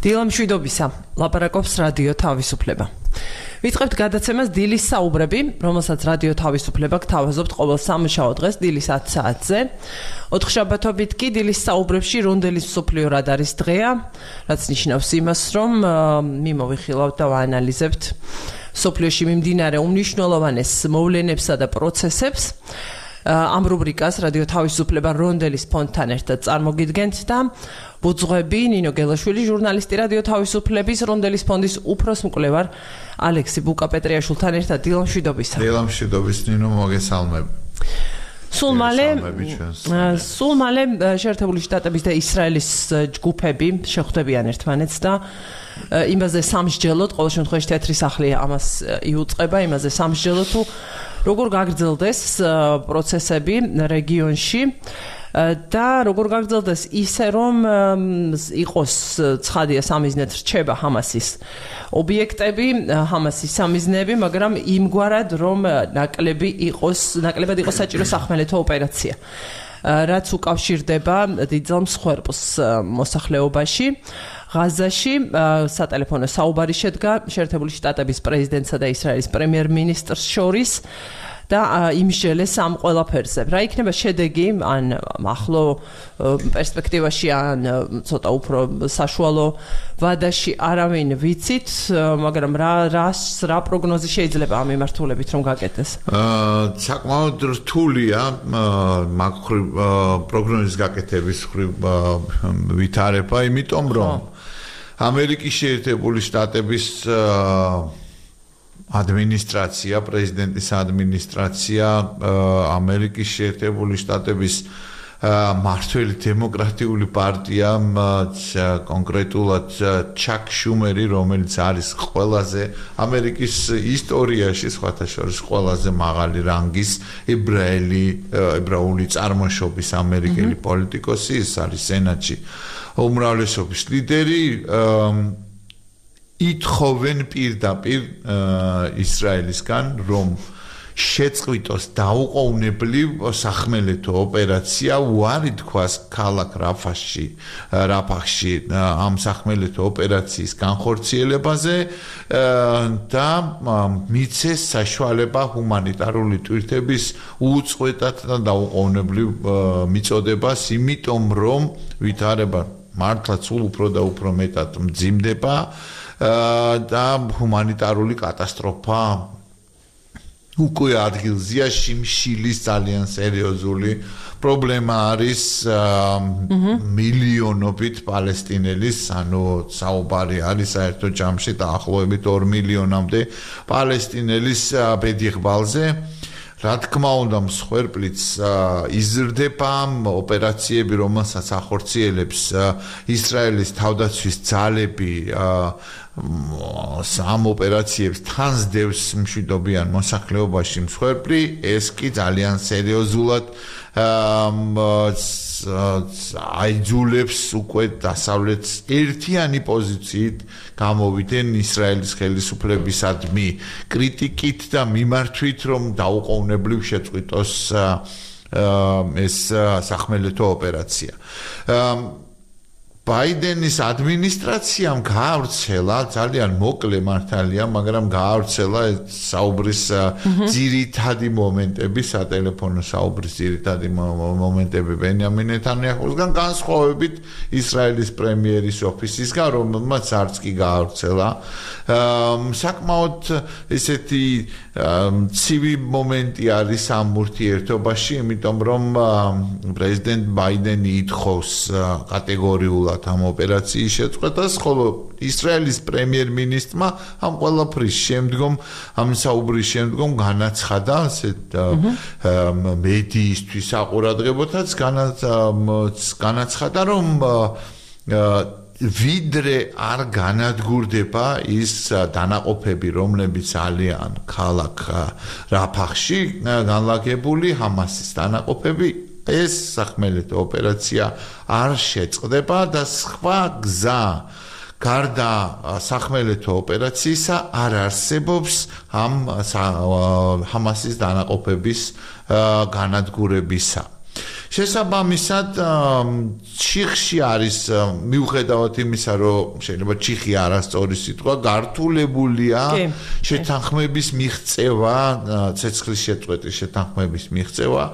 დილა მშვიდობისა, ლაპარაკობს რადიო თავისუფლება. ვიწყებთ გადაცემას დილის საუბრები, რომელსაც რადიო თავისუფლება გთავაზობთ ყოველ სამშაბათ დღეს დილის 10 საათზე. 4 შაბათობით კი დილის საუბრებში რონდელის მსოფლიო რადარის დღეა, რაც ნიშნავს იმას, რომ მიმოვიხილავთ და ვაანალიზებთ მსოფლიოში მიმდინარე უმნიშვნელოვანეს მოვლენებსა და პროცესებს. ამ რუბრიკას რადიო თავისუფლება რონდელის ფონდთან ერთად წარმოგიდგენთ და ბუძღვები ნინო გელაშვილი, ჟურნალისტი რადიო თავისუფლების რონდელის ფონდის უფროს მკვლევარ ალექსი ბუკა-პეტრიაშვილთან ერთად დილა მშვიდობისა. დილა მშვიდობის ნინო, მოგესალმები. სულ მალე შეერთებული შტატების და ისრაელის ჯგუფები შეხვდებიან ერთმანეთს და იმაზე სამსჯელოდ, ყოველ შემთხვევაში თეთრი სახლი ამას იუწყება, იმაზე სამსჯელოდ თუ როგორ გაგრძელდეს პროცესები რეგიონში და როგორ გაგრძელდეს ისე, რომ იყოს ცხადია სამიზნედ რჩება ჰამასის ობიექტები, ჰამასის სამიზნეები, მაგრამ იმგვარად, რომ ნაკლებად იყოს საჭირო სახმელეთო ოპერაცია, რაც უკავშირდება დიდძალ მსხვერპლს მოსახლეობაში. ღაზაში სატელეფონო საუბარი შედგა შეერთებული შტატების პრეზიდენტსა და ისრაელის პრემიერ-მინისტრს შორის და იმსჯელეს ამ ყველაფერზე. რა იქნება შედეგი, ან ახლო პერსპექტივაში, ან ცოტა უფრო საშუალო ვადაში, არავინ ვიცით, მაგრამ რა პროგნოზი შეიძლება ამ მიმართულებით რომ გაკეთდეს? საკმაოდ რთულია მაგხრივ პროგნოზის გაკეთების ხრივ ვითარება, იმიტომ რომ ამერიკის შეერთებული შტატების ადმინისტრაცია, პრეზიდენტის ადმინისტრაცია, ამერიკის შეერთებული შტატების მართველი დემოკრატიული პარტია, კონკრეტულად ჩაკ შუმერი, რომელიც არის ყველაზე ამერიკის ისტორიაში სხვათა შორის ყველაზე მაღალი რანგის ებრაული წარმოშობის ამერიკელი პოლიტიკოსი, ის არის სენატში უმრავლესობის ლიდერი, ითხოვენ პირდაპირ ისრაელისგან, რომ შეწყვიტოს დაუყოვნებლივ სახმელეთო ოპერაცია, უარი თქვას ქალაქ რაფახში ამ სახმელეთო ოპერაციის განხორციელებაზე და მიცეს საშუალება ჰუმანიტარული ტვირთების უწყვეტად და დაუყოვნებლივ მიწოდებას, იმიტომ რომ ვითარება მართლა სულ უფრო და უფრო მეტად მძიმდება და ჰუმანიტარული კატასტროფა უკვე ადგილზეა, შიმშილის ძალიან სერიოზული პრობლემა არის მილიონობით პალესტინელის, ანუ საუბარი არის საერთო ჯამში დაახლოებით 2 მილიონამდე პალესტინელის ბედიღბალზე. რა თქმა უნდა, მსხვერპლიც იზრდება, ოპერაციები, რომელსაც ახორციელებს ისრაელის თავდაცვის ძალები, ამ ოპერაციებს თან სდევს მშვიდობიან მოსახლეობაში მსხვერპლი, ეს კი ძალიან სერიოზულად აიძულებს უკვე დასავლეთს ერთიანი პოზიციით გამოვიდნენ ისრაელის ხელისუფლებისადმი კრიტიკით და მიმართვით, რომ დაუყოვნებლივ შეწყვიტოს ეს სახმელეთო ოპერაცია. ბაიდენის ადმინისტრაციამ გაავრცელა, ძალიან მოკლე მართალია, მაგრამ გაავრცელა საუბრის ძირითადი მომენტები, სატელეფონო საუბრის ძირითადი მომენტები ბენიამინ ნეთანიაჰუსგან, განსხვავებით ისრაელის პრემიერის ოფისისგან, რომელმაც არც კი გაავრცელა. საკმაოდ ესეთი ცივი მომენტი არის ამ ურთიერთობაში, იმიტომ რომ პრეზიდენტ ბაიდენი ითხოვს კატეგორიულად ამ ოპერაციის შეწყვეტას, ხოლო ისრაელის პრემიერ-მინისტრმა ამ ყველაფრის შემდგომ, ამ საუბრის შემდგომ განაცხადა, მედიისთვის აყურადღებოდაც განაცხადა, რომ ვიდრე არ განადგურდება ის დანაყოფები, რომლებიც ალიან ქალაქ რაფახში განლაგებული ჰამასის დანაყოფები, ეს სახმელეთო ოპერაცია არ შეწყდება და სხვა გზა გარდა სახმელეთო ოპერაციისა არ არსებობს ამ ჰამასის დანაყოფების განადგურებისა. შესაბამისად ჩიხში არის მიუხედავად იმისა რომ შეიძლება ჩიხი არასწორი სიტყვა გართულებულია შეთანხმების მიღწევა ცეცხლის შეწყვეტის შეთანხმების მიღწევა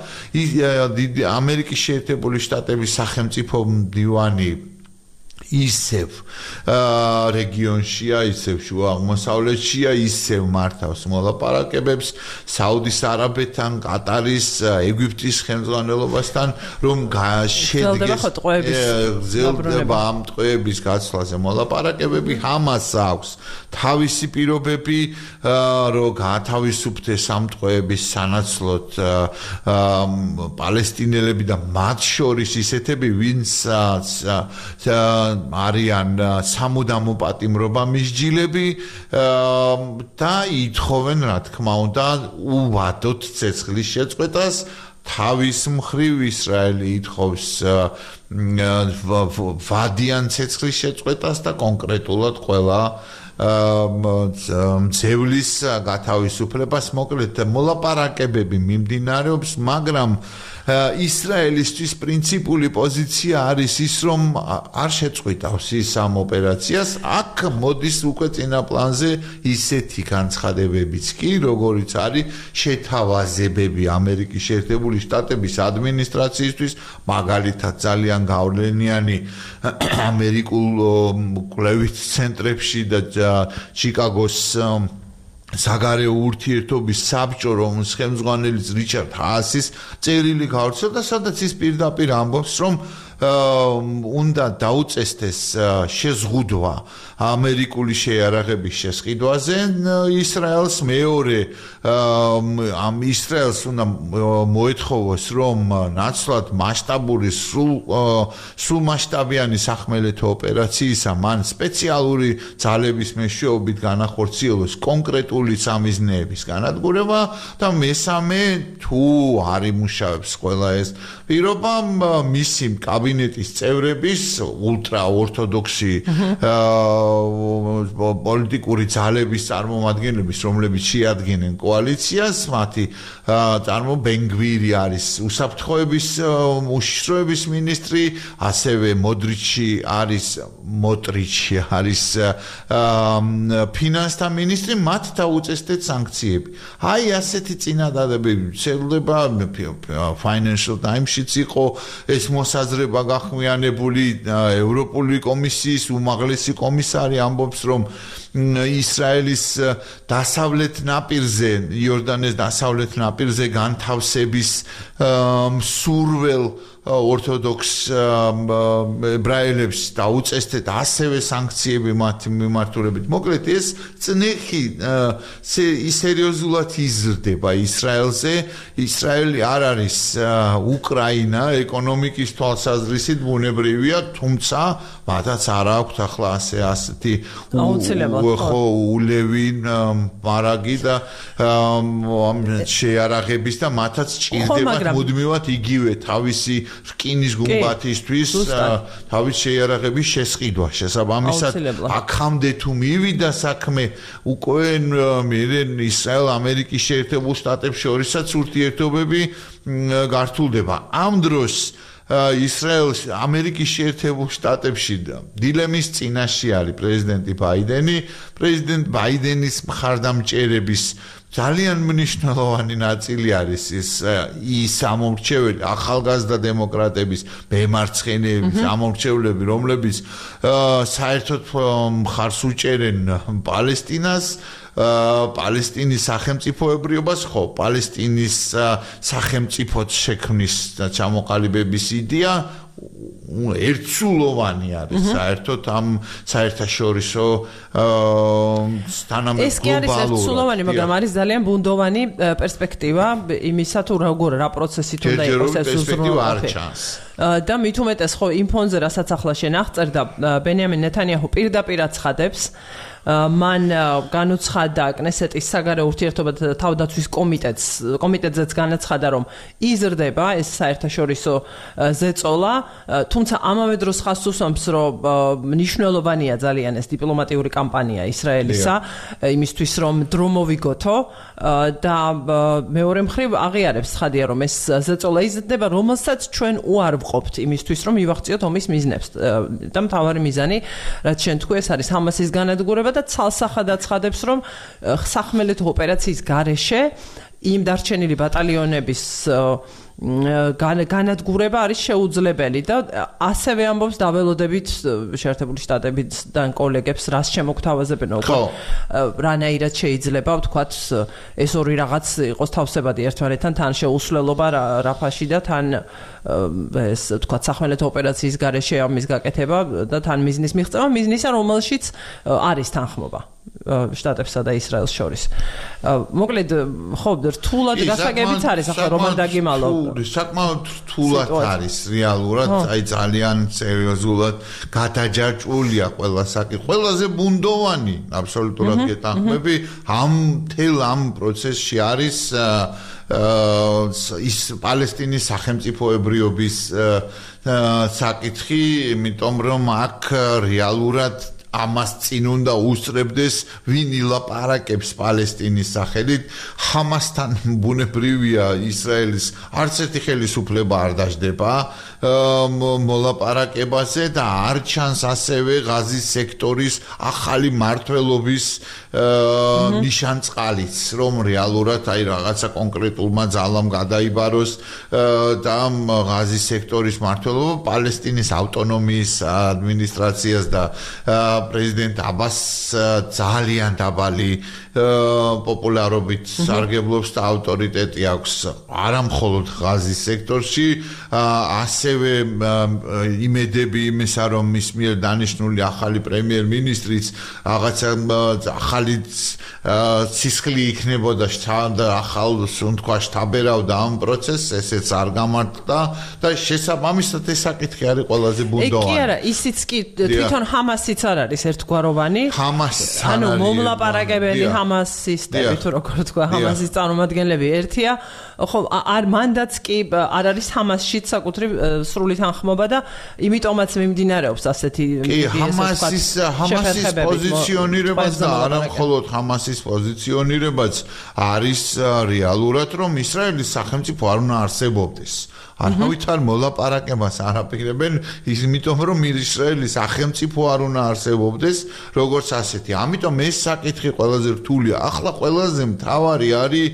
ამერიკის შეერთებული შტატების სახელმწიფო მდივანი ისევ რეგიონშია, ისევ შუა აღმოსავლეთშია, ისევ მართავს მოლაპარაკებებს საუდის არაბეთთან, კატარის, ეგვიპტის ხელმძღვანელობასთან, რომ გრძელდება ამ ტყვეების გაცვლაზე მოლაპარაკებები, ამას აქვს თავისი პირობები, რომ გაათავისუფლდეს ამ ტყვეების სანაცვლოდ პალესტინელები და მათ შორის ისეთები, ვინც არიან სამუდამო პატიმრობა მისჯილები და ითხოვენ რა თქმა უნდა უვადოთ ცეცხლის შეწყვეტას თავის მხრივ ისრაელი ითხოვს ვადიან ცეცხლის შეწყვეტას და კონკრეტულად ყველა ძევლის გათავისუფლებას მოკლედ მოლაპარაკებები მიმდინარეობს მაგრამ ისრაელისთვის პრინციპული პოზიცია არის ის რომ არ შეწყვიტავს ის ამ ოპერაციას აქ მოდის უკვე წინა პლანზე ისეთი განცხადებებიც კი როგორიც არის შეთავაზებები ამერიკის შეერთებული შტატების ადმინისტრაციისთვის მაგალითად ძალიან გავლენიანი ამერიკულ კვლევით ცენტრებში და ჩიკაგოს საგარეო ურთიერთობის საბჭო რომლის ხელმძღვანელი რიჩარდ ჰაასის წერილი გავრცელდა სადაც ის პირდაპირ ამბობს რომ უნდა დაუწესდეს შეზღუდვა ამერიკული შეიარაღების შესყიდვაზე ისრაელს მეორე ამ ისრაელს უნდა მოეთხოვოს რომ ნაცვლად მასშტაბური სრულ მასშტაბიანი სახმელეთო ოპერაციისა მან სპეციალური ძალების მეშვეობით განახორციელოს კონკრეტული სამიზნეების განადგურება და მესამე თუ არ იმუშავებს ყველა ეს პირობა მისი კაბინეტის წევრების ულტრა ორთოდოქსი პოლიტიკური ძალების წარმომადგენლების რომლებიც შეადგენენ კოალიციას მათი ბენგვირი არის უსაფრთხოების უშიშროების მინისტრი ასევე მოტრიჩი არის ფინანსთა მინისტრი მათ დაუწესდეთ სანქციები აი ასეთი წინადადებები ვრცელდება Financial Times-შიც იყო ეს მოსაზრება გახმიანებული ევროპული კომისიის უმაღლესი კომისარი ამბობს რომ ისრაელის დასავლეთ ნაპირზე იორდანეს დასავლეთ ნაპირზე განთავსების სურველ ორთოდოქს ებრაელებს დაუწესდეთ ასევე სანქციები მათ მიმართულებით. მოკლედ ეს წნეხი სერიოზულად იზრდება ისრაელზე. ისრაელი არ არის უკრაინა ეკონომიკის თვალსაზრისით ბუნებრივია, თუმცა მათაც არ აქვთ ახლა ასეთი ულევი მარაგი და შეიარაღების და მათაც ჭირდებათ მუდმივად იგივე თავისი რკინის გუმბათისთვის თავის შეიარაღების შესყიდვა შესაბამისად აქამდე თუ მივიდა საქმე უკვე ისრაელ-ამერიკის შეერთებულ შტატებს შორისაც ურთიერთობები გართულდება ამ დროს ისრაელს ამერიკის შეერთებულ შტატებში დილემის წინაშე არის პრეზიდენტი ბაიდენი პრეზიდენტ ბაიდენის მხარდამჭერების ძალიან მნიშვნელოვანი ნაწილი არის ის ამორჩეველი ახალგაზრდა დემოკრატების მემარცხენეების ამორჩევლები რომლებიც საერთოდ მხარს უჭერენ პალესტინას პალესტინის სახელმწიფოებრიობას ხო პალესტინის სახელმწიფოს შექმნის ჩამოყალიბების იდეა ერთსულოვანი არის საერთოდ ამ საერთაშორისო თანამედროვე ეს კი არის ერთსულოვანი მაგრამ არის ძალიან ბუნდოვანი პერსპექტივა იმისა თუ რა პროცესით უნდა იყოს ეს უზრუნველყოფი და მით უმეტეს ხო იმ ფონზე რასაც ახლა შენ აღწერდა ბენიამინ ნეთანიაჰუ პირდაპირ აცხადებს მან განუცხადა კნესეტის საგარეო ურთიერთობათა თავდაცვის კომიტეტზეც განაცხადა რომ იზრდება ეს საერთაშორისო ზეწოლა თუმცა ამავე დროს ხაზს უსვამს რომ მნიშვნელოვანია ძალიან ეს დიპლომატიური კამპანია ისრაელისა იმისთვის რომ დრო მოვიგოთო და მეორე მხრივ აღიარებს ცხადია რომ ეს ზეწოლა იზრდება რომელსაც ჩვენ უარ ვყოფთ იმისთვის რომ მივაღწიოთ ომის მიზნებს და მთავარი მიზანი რაც შენ თქვი ეს არის ჰამასის განადგურება და ცალსახად აცხადებს რომ სახმელეთო ოპერაციის გარეშე იმ დარჩენილი ბატალიონების განადგურება არის შეუძლებელი და ასევე ამბობს დაველოდებით შეერთებული შტატებიდან კოლეგებს რას შემოგთავაზებენ უკვე რანაირად შეიძლება ვთქვათ ეს ორი რაღაც იყოს თავსებადი ერთმანეთთან თან შეუსვლელობა რაფაში და თან ეს ვთქვათ სახმელეთო ოპერაციის გარეშე ამის გაკეთება და თან მიზნის მიღწევა მიზნისა რომელშიც არის თანხმობა შტატებსა და ისრაელს შორის. მოკლედ ხო რთულად გასაგებიც არის ახლა რომან დაგიმალო. საკმაოდ რთულად არის რეალურად, აი ძალიან სერიოზულად გადაჯაჭვულია ყველა საკითხი. ყველაზე ბუნდოვანი აბსოლუტურად გეთანხმები ამ პროცესში არის ის პალესტინის სახელმწიფოებრიობის საკითხი, იმიტომ რომ აქ რეალურად ამას წინ უნდა უსწრებდეს ვინ ილაპარაკებს პალესტინის სახელით ჰამასთან ბუნებრივია ისრაელის არც ერთი ხელისუფლება არ დაждდება მოლაპარაკებაზე და არ ჩანს ასევე ღაზის სექტორის ახალი მართლობის ნიშანწყალიც რომ რეალურად აი რაღაცა კონკრეტულმა ძალამ გადაიბაროს და ღაზის სექტორის მართლობა პალესტინის ავტონომიის ადმინისტრაციას და პრეზიდენტ აბას ძალიან დაბალი პოპულარობით სარგებლობს და ავტორიტეტი აქვს არა მხოლოდ ღაზის სექტორში ასევე იმედები იმისა რომ მის მიერ დანიშნული ახალი პრემიერ-მინისტრიც რაღაცა ახალი სისხლი იქნებოდა და ახალ თქვა შთაბერავდა ამ პროცესს ესეც არ გამართდა და შესაბამისად ეს საკითხი არის ყველაზე ბუნდოვანი. კი არა ისიც კი თვითონ ჰამასიც არ არის ერთგვაროვანი. ანუ მომლაპარაკებელი ჰამასისტები თუ როგორ თქვა ჰამასის წარმომადგენლები ერთია ხო არ მანდაც კი არ არის ჰამასშიც საკუთრივ სრული თანხმობა და იმიტომაც მიმდინარეობს ასეთი ჰამასის პოზიციონირებაც და არა მხოლოდ ჰამასის პოზიციონირებაც არის რეალურად რომ ისრაელის სახელმწიფო არ უნდა არსებობდეს არავით არ მოლაპარაკებას არ აპირებენ იმიტომ რომ ისრაელის სახელმწიფო არ უნდა არსებობდეს როგორც ასეთი ამიტომ ეს საკითხი ყველაზე რთულია ახლა ყველაზე მთავარი არის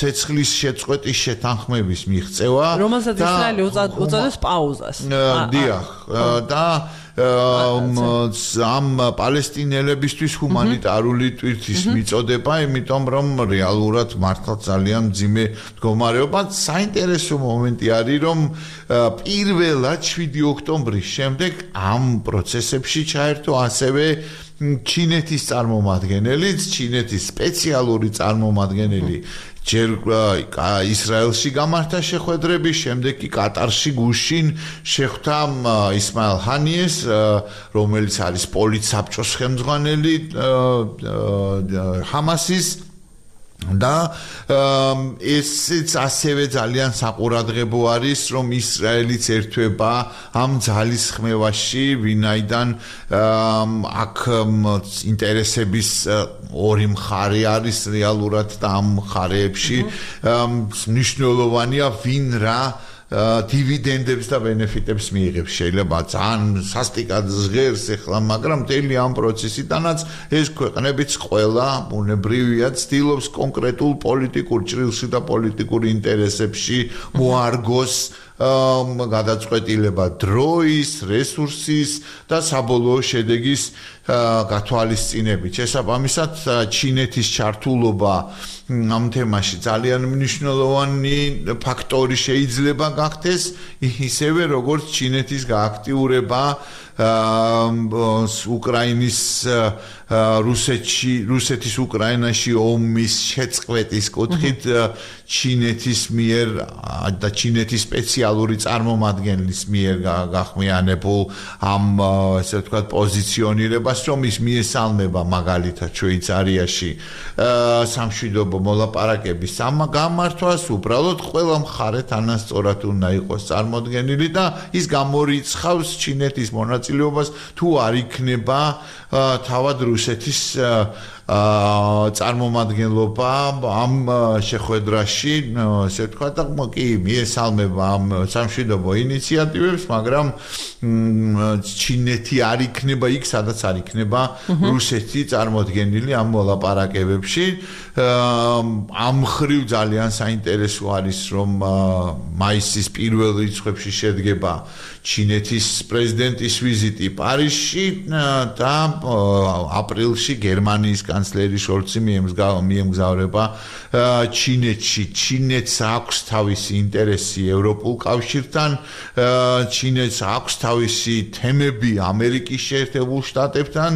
ცეცხლის შეწყვეტის შეთანხმების მიღწევა რომელსაც ისრაელი უწოდებს პაუზას დიახ და ამ პალესტინელებისთვის ჰუმანიტარული ტვირთის მიწოდება, იმიტომ რომ რეალურად მართლა ძალიან მძიმე მდგომარეობა. საინტერესო მომენტი არის, რომ პირველად 7 ოქტომბრის შემდეგ ამ პროცესებში ჩაერთო ასევე ჩინეთის წარმომადგენელიც, ჩინეთის სპეციალური წარმომადგენელი ჯერ ისრაელში გამართა შეხვედრები, შემდეგ კი კატარში გუშინ შეხვდა ისმაილ ჰანიეს, რომელიც არის პოლიტსაბჭოს ხელმძღვანელი ჰამასის და ესეც ასევე ძალიან საყურადღებო არის, რომ ისრაელიც ერთვება ამ ძალის ხმევაში, ვინაიდან აქ ინტერესების ორი მხარე არის რეალურად და ამ მხარეებში მნიშვნელოვანია ვინ რა დივიდენდებს და ბენეფიტებს მიიღებს. შეიძლება ძალიან სასტიკად ჟღერს ახლა, მაგრამ მთელი ამ პროცესიდანაც ეს ქვეყნებიც ყველა ბუნებრივია ცდილობს კონკრეტულ პოლიტიკურ ჭრილში და პოლიტიკურ ინტერესებში მოარგოს გადაწყვეტილება დროის, რესურსის და საბოლოო შედეგის გათვალისწინებით. შესაბამისად, ჩინეთის ჩართულობა ამ თემაში ძალიან მნიშვნელოვანი ფაქტორი შეიძლება გახდეს, ისევე როგორც ჩინეთის გააქტიურება უკრაინის რუსეთის უკრაინაში ომის შეწყვეტის კუთხით ჩინეთის მიერ და ჩინეთის სპეციალური წარმომადგენლის მიერ გახმიანებულ ამ ესე ვთქვათ პოზიციონირებას, რომ ის მიესალმება მაგალითად შვეიცარიაში სამშვიდობო მოლაპარაკების გამართვას, უბრალოდ ყველა მხარე თანასწორად უნდა იყოს წარმოდგენილი და ის გამორიცხავს ჩინეთის მონაწილეობას თუ არ იქნება თავად რუსეთის წარმომადგენლობა ამ შეხვედრაში, ესე ვთქვათ, კი მიესალმება ამ სამშვიდობო ინიციატივებს, მაგრამ ჩინეთი არ იქნება იქ, სადაც არ იქნება რუსეთი წარმოდგენილი ამ მოლაპარაკებებში. ამ ხრივ ძალიან საინტერესო არის, რომ მაისის პირველ რიცხვებში შედგება ჩინეთის პრეზიდენტის ვიზიტი პარიზში და აპრილში გერმანიის კანცლერი შოლცი მიემგზავრება ჩინეთში. ჩინეთს აქვს თავისი ინტერესი ევროპულ კავშირთან, ჩინეთს აქვს თავისი თემები ამერიკის შეერთებულ შტატებთან,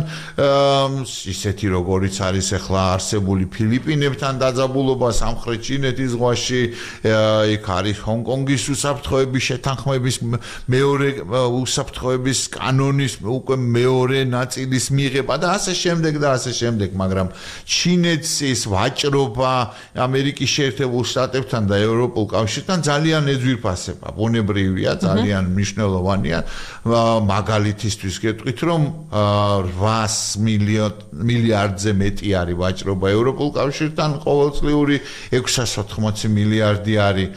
ისეთი როგორიც არის ახლა არსებული ფილიპინებთან დაძაბულობა სამხრეთ ჩინეთის ზღვაში, იქ არის ჰონკონგის უსაფრთხოების შეთანხმების მეორე უსაფრთხოების კანონის უკვე მეორე ნაწილის მიღება და ასე შემდეგ, მაგრამ ჩინეთს ის ვაჭრობა ამერიკის შეერთებულ შტატებთან და ევროპულ კავშირთან ძალიან ეძვირფასება. ბუნებრივია, ძალიან მნიშვნელოვანია. მაგალითისთვის გეტყვით, რომ 800 მილიარდზე მეტი არის ვაჭრობა ევროპულ კავშირთან, ყოველწლიური 680 მილიარდი არის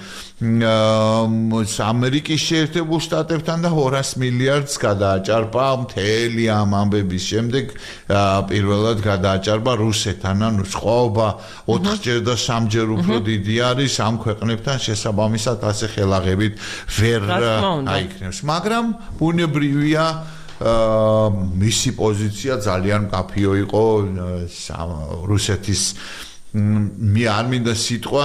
ამერიკის შეერთებულ შტატებთან და 200 მილიარდს გადააჭარბა მთელი ამ ამბების შემდეგ პირველად გადააჭარბა რუსეთთან, ანუ სხვაობა 4-ჯერ და 3-ჯერ უფრო დიდი არის ამ ქვეყნებთან შესაბამისად ასე ხელაღებით ვერ აიქნებს, მაგრამ ბუნებრივია მისი პოზიცია ძალიან მკაფიო იყო რუსეთის მე არ მინდა სიტყვა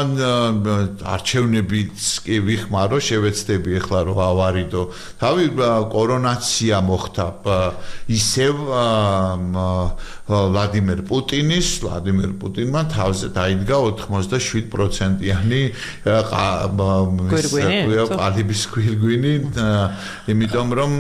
არჩევნებიც კი ვიხმარო, შევეცდები ახლა რომ ავარიდო. თავი კორონაცია მოხდა ისევ ვლადიმერ პუტინმა თავზე დაიდგა 87%-იანი ყალიბის გვირგვინი, იმიტომ რომ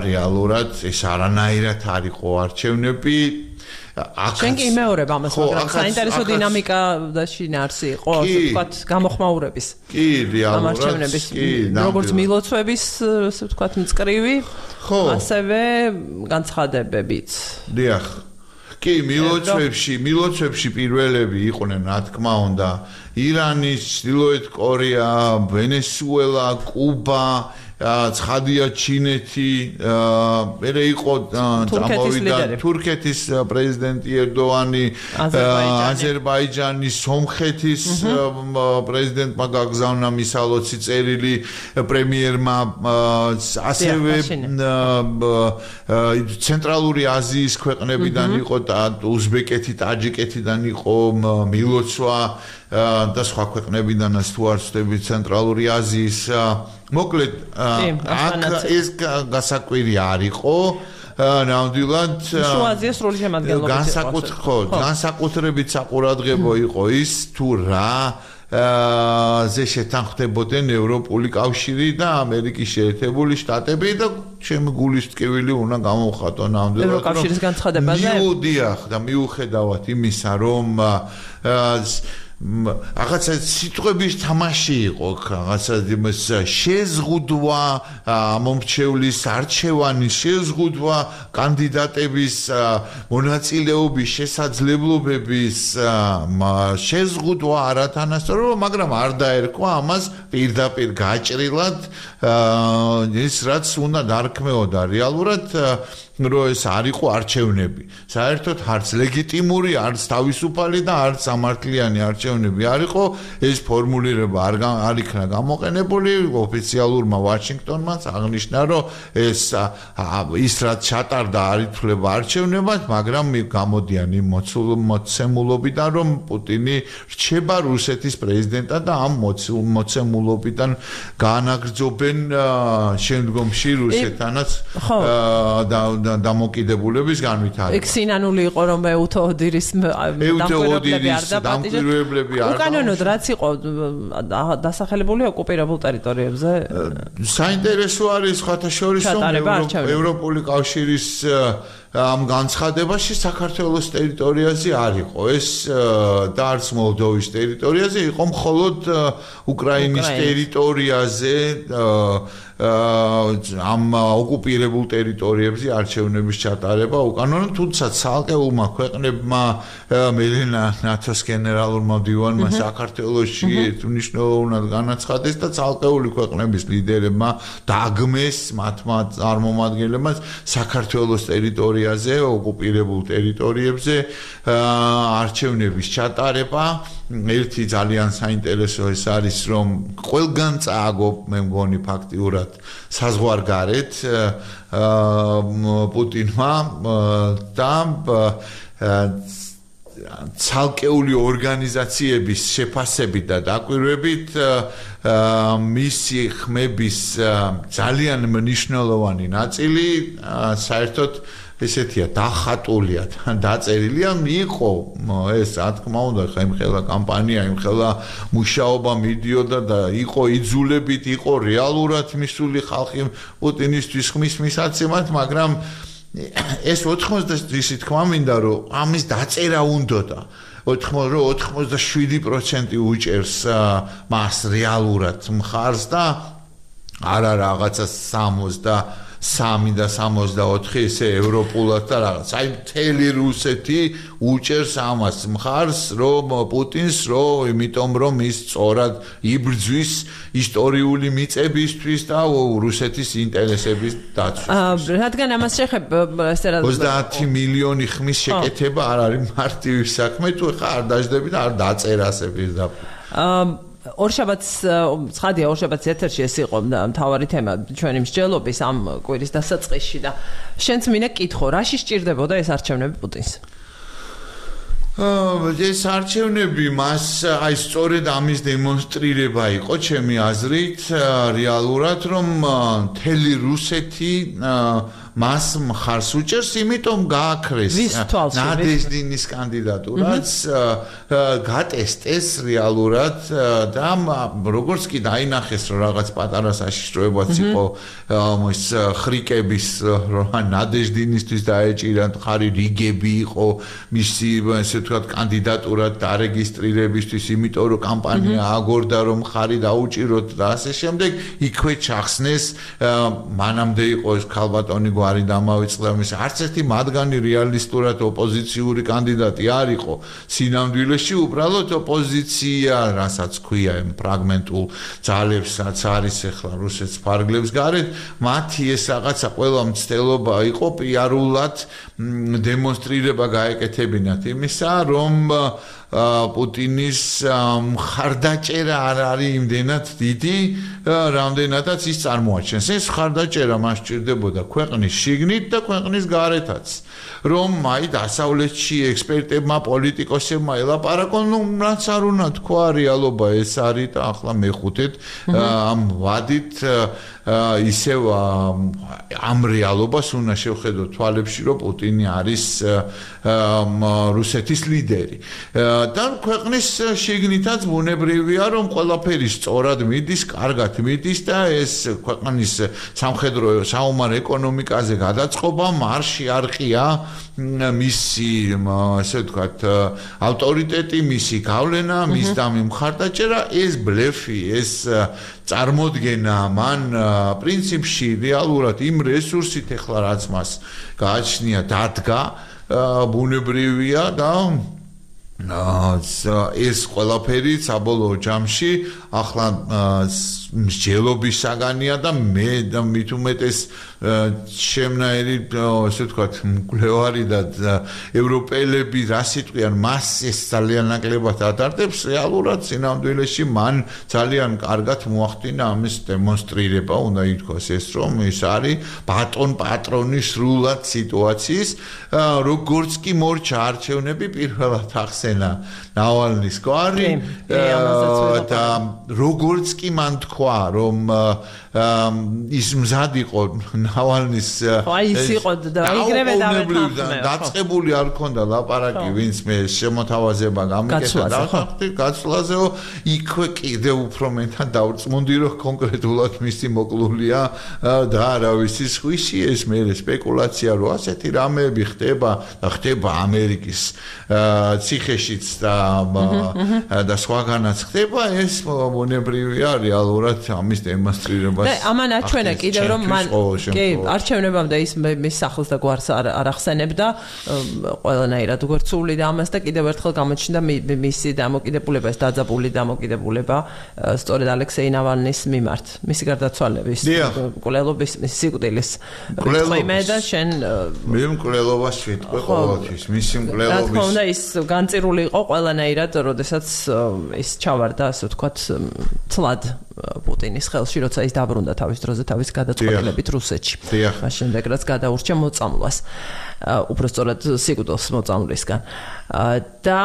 რეალურად ეს არანაირად არ იყო არჩევნები. შენ კი იმეორებ ამას, მაგრამ საინტერესო დინამიკა და შინაარსი იყო, ასე ვთქვათ, გამოხმაურების. კი, რეალურად. როგორც მილოცვების, ასე ვთქვათ, მწკრივი, ასევე განცხადებებიც. დიახ. კი, მილოცვებში პირველები იყვნენ, რა თქმა უნდა, ირანი, ჩრდილოეთ კორეა, ვენესუელა, კუბა, ცხადია ჩინეთი, მერე იყო წამოვიდა თურქეთის პრეზიდენტი ერდოანი, აზერბაიჯანის, სომხეთის პრეზიდენტმა გაგზავნა მისალოცი წერილი პრემიერმა, ასევე ცენტრალური აზიის ქვეყნებიდან იყო უზბეკეთი, ტაჯიკეთიდან იყო მილოცვა და სხვა ქვეყნებიდანაც თუ არ ვცდები ცენტრალური აზიის მოკლედ აქ ეს გასაკვირი არ იყო ნამდვილად შუა აზიის სრული შემადგენლობით განსაკუთრებით საყურადღებო იყო ის თუ რა ზე შეთანხმდებოდნენ ევროპული კავშირი და ამერიკის შეერთებული შტატები და ჩემი გულის ტკივილი უნდა გამოვხატო ნამდვილად ევროკავშირის განცხადებაზე და მიუხედავად იმისა რომ რაღაცა სიტყვების თამაში იყო, რაღაცა შეზღუდვა მომრჩევლის არჩევანის შეზღუდვა კანდიდატების მონაწილეობის შესაძლებლობების შეზღუდვა არათანასწორობა, მაგრამ არ დაერქვა ამას პირდაპირ გაჭრილად ის რაც უნდა დარქმეოდა რეალურად რომ ეს არ იყო არჩევნები. საერთოდ არც ლეგიტიმური, არც თავისუფალი და არც სამართლიანი არჩევნები არ იყო. ეს ფორმულირება არ იქნა გამოყენებული. ოფიციალურმა ვაშინგტონმაც აღნიშნა, რომ ეს ის რაც ჩატარდა არ ითვლება არჩევნებად, მაგრამ გამოდიან იმ მოცემულობიდან, რომ პუტინი რჩება რუსეთის პრეზიდენტად და ამ მოცემულობიდან განაგრძობენ შემდგომში რუსეთთანაც დამოკიდებულების განვითარება. ეგ სინანული იყო, რომ ეუთოჰოდირის დამკვირვებლები არ უკანონოდ რაც იყო დასახელებული ოკუპირებულ ტერიტორიებზე. საინტერესო არის სხვათა შორის ევროპული კავშირის ამ განცხადებაში საქართველოს ტერიტორიაზე არ იყო ეს და არც მოლდოვის ტერიტორიაზე იყო მხოლოდ უკრაინის ტერიტორიაზე ამ ოკუპირებულ ტერიტორიებზე არჩევნების ჩატარება უკანონო, თუმცა ცალკეულმა ქვეყნებმა მელენა ნატოს გენერალურმა მდივანმა საქართველოში მნიშვნელოვნად განაცხადეს და ცალკეული ქვეყნების ლიდერებმა დაგმეს მათმა წარმომადგენლებმა საქართველოს ტერიტორიაზე, ოკუპირებულ ტერიტორიებზე არჩევნების ჩატარება. ერთი ძალიან საინტერესო ეს არის, რომ ყველგან წააგო, მე მგონი ფაქტიურად საზღვარგარეთ პუტინმა და ცალკეული ორგანიზაციების შეფასებით და დაკვირვებით მისი ხმების ძალიან მნიშვნელოვანი ნაწილი საერთოდ ესეთია დახატულია დაწერილია იყო ეს რა თქმა უნდა ხემხელა კამპანია იმხელა მუშაობა მიდიოდა და იყო იძულებით იყო რეალურად მისული ხალხი პუტინისთვის ხმის მისაცემად მაგრამ ეს 90 ისი თქმა მინდა რომ ამის დაწერა უნდოდა 87% უჭერს მას რეალურად მხარს და არა რაღაცა 63 და 64 ესე ევროპულად და რაღაც. აი მთელი რუსეთი უჭერს ამას მხარს, რომ პუტინს, იმიტომ რომ ის სწორად იბრძვის ისტორიული მიწებისთვის და რუსეთის ინტერესების დაცვისთვის. რადგან ამას შეხებ 30 მილიონი ხმის შეკეთება არ არის მარტივი საქმე, თუ ხა არ დაждები და არ დაწერასე პირდაპირ. ორშაბათს ცხადია ორშაბათს ეთერში ეს იყო მთავარი თემა ჩვენი მსჯელობის ამ კვირის დასაწყისში და შენც მინდა კითხო რაში სჭირდებოდა ეს არჩევნები პუტინს ეს არჩევნები მას აი სწორედ ამის დემონსტრირება იყო ჩემი აზრით რეალურად რომ მთელი რუსეთი მას მხარს უჭერს, იმიტომ გააქრეს ნადეჟდინის კანდიდატურაც გატესტეს რეალურად და როგორც კი დაინახეს რომ რაღაც პატარა საშიშროებაც იყო ის ხრიკების ნადეჟდინისთვის დაეჭირა ხარი რიგები იყო მისი ესე ვთქვათ კანდიდატურად დარეგისტრირებისთვის, იმიტომ რომ კამპანია აგორდა რომ ხარი დაუჭიროთ და ასე შემდეგ იქვე ჩახსნეს მანამდე იყო ეს ქალბატონი გვარი დამავიწყდა მის არც ერთი მათგანი რეალისტურად ოპოზიციური კანდიდატი არ იყო სინამდვილეში უბრალოდ ოპოზიცია რასაც ქვია იმ ფრაგმენტულ ძალებსაც არის ახლა რუსეთს ფარგლებს გარეთ მათი ეს რაღაცა ყველა მცდელობა იყო პიარულად დემონსტრირება გაეკეთებინათ იმისა რომ პუტინის მხარდაჭერა არ არის იმდენად დიდი, რამდენადაც ის წარმოაჩენს. ეს მხარდაჭერა მას სჭირდებოდა ქვეყნის შიგნით და ქვეყნის გარეთაც. რომ აი დასავლეთში ექსპერტებმა, პოლიტიკოსებმა ელაპარაკონ, რაც არ უნდა თქვა რეალობა ეს არის და ახლა მეხუთეთ ამ ვადით ისევ ამ რეალობას უნდა შევხედოთ თვალებში, რომ პუტინი არის რუსეთის ლიდერი. და ქვეყნის შიგნითაც ბუნებრივია რომ ყველაფერი სწორად მიდის, კარგად მიდის და ეს ქვეყნის სამხედრო საომარ ეკონომიკაზე გადაწყობა მარში არ ყია მისი ასე ვთქვათ ავტორიტეტი, მისი გავლენა, მის და მხარდაჭერა ეს ბლეფი, ეს წარმოდგენა მან პრინციპში რეალურად იმ რესურსით ახლა რაც მას გააჩნია დადგა ბუნებრივია და ეს ყველაფერი საბოლოო ჯამში ახლა მსჯელობის საგანია და მე და მით უმეტეს შემნაირი ესე ვთქვათ მკვლევარი და ევროპელები რა სიტყვიან მას ეს ძალიან ნაკლებად ატარდებს რეალურად სინამდვილეში მან ძალიან კარგად მოახდინა ამის დემონსტრირება უნდა ითქვას ეს რომ ეს არის ბატონ პატრონის სრულად სიტუაციის როგორც კი მორჩა არჩევნები პირველად ახსენა ნავალნის გვარი და როგორც კი მან თქვა რომ ის მზად იყო ნავალნის ის იყო და იგრევე დაწყებული არ ქონდა ლაპარაკი ვინც მე შემოთავაზება გამიკეთა და გაცვლაზეო იქვე კიდე უფრო მეთან დავრწმუნდი რომ კონკრეტულად მისი მოკლულია და არავისი სხვისი ეს მე სპეკულაცია რომ ასეთი რამეები ხდება ამერიკის ციხეშიც და სხვაგანაც ხდება ეს მონებრივია რეალურად ამის დემონსტრირებას ამან აჩვენა კიდევ რომ მან კი არჩევნებამდე ის მის სახლს და გვარს არ ახსენებდა ყველანაირად უგორცული და ამას და კიდევ ერთხელ გამოჩნდა მისი დამოკიდებულება ეს დაძაბული დამოკიდებულება სწორედ ალექსეი ნავალნის მიმართ მისი გარდაცვალების მკვლელობის სიკვდილის რიტყვიმე და შენ მე მკვლელობას ვიტყვი ყოველთვის მისი მკვლელობის რა თქმა უნდა ის განწირული იყო ყველანაირად როდესაც ის ჩავარდა ასე ვთქვათ ცლად პუტინის ხელში როცა ის დაბრუნდა თავის დროზე თავის გადაწყვეტილებით რუსეთში მას შემდეგ რაც გადაურჩა მოწამვლას უბრალოდ სიკვდილს მოწამვლისგან და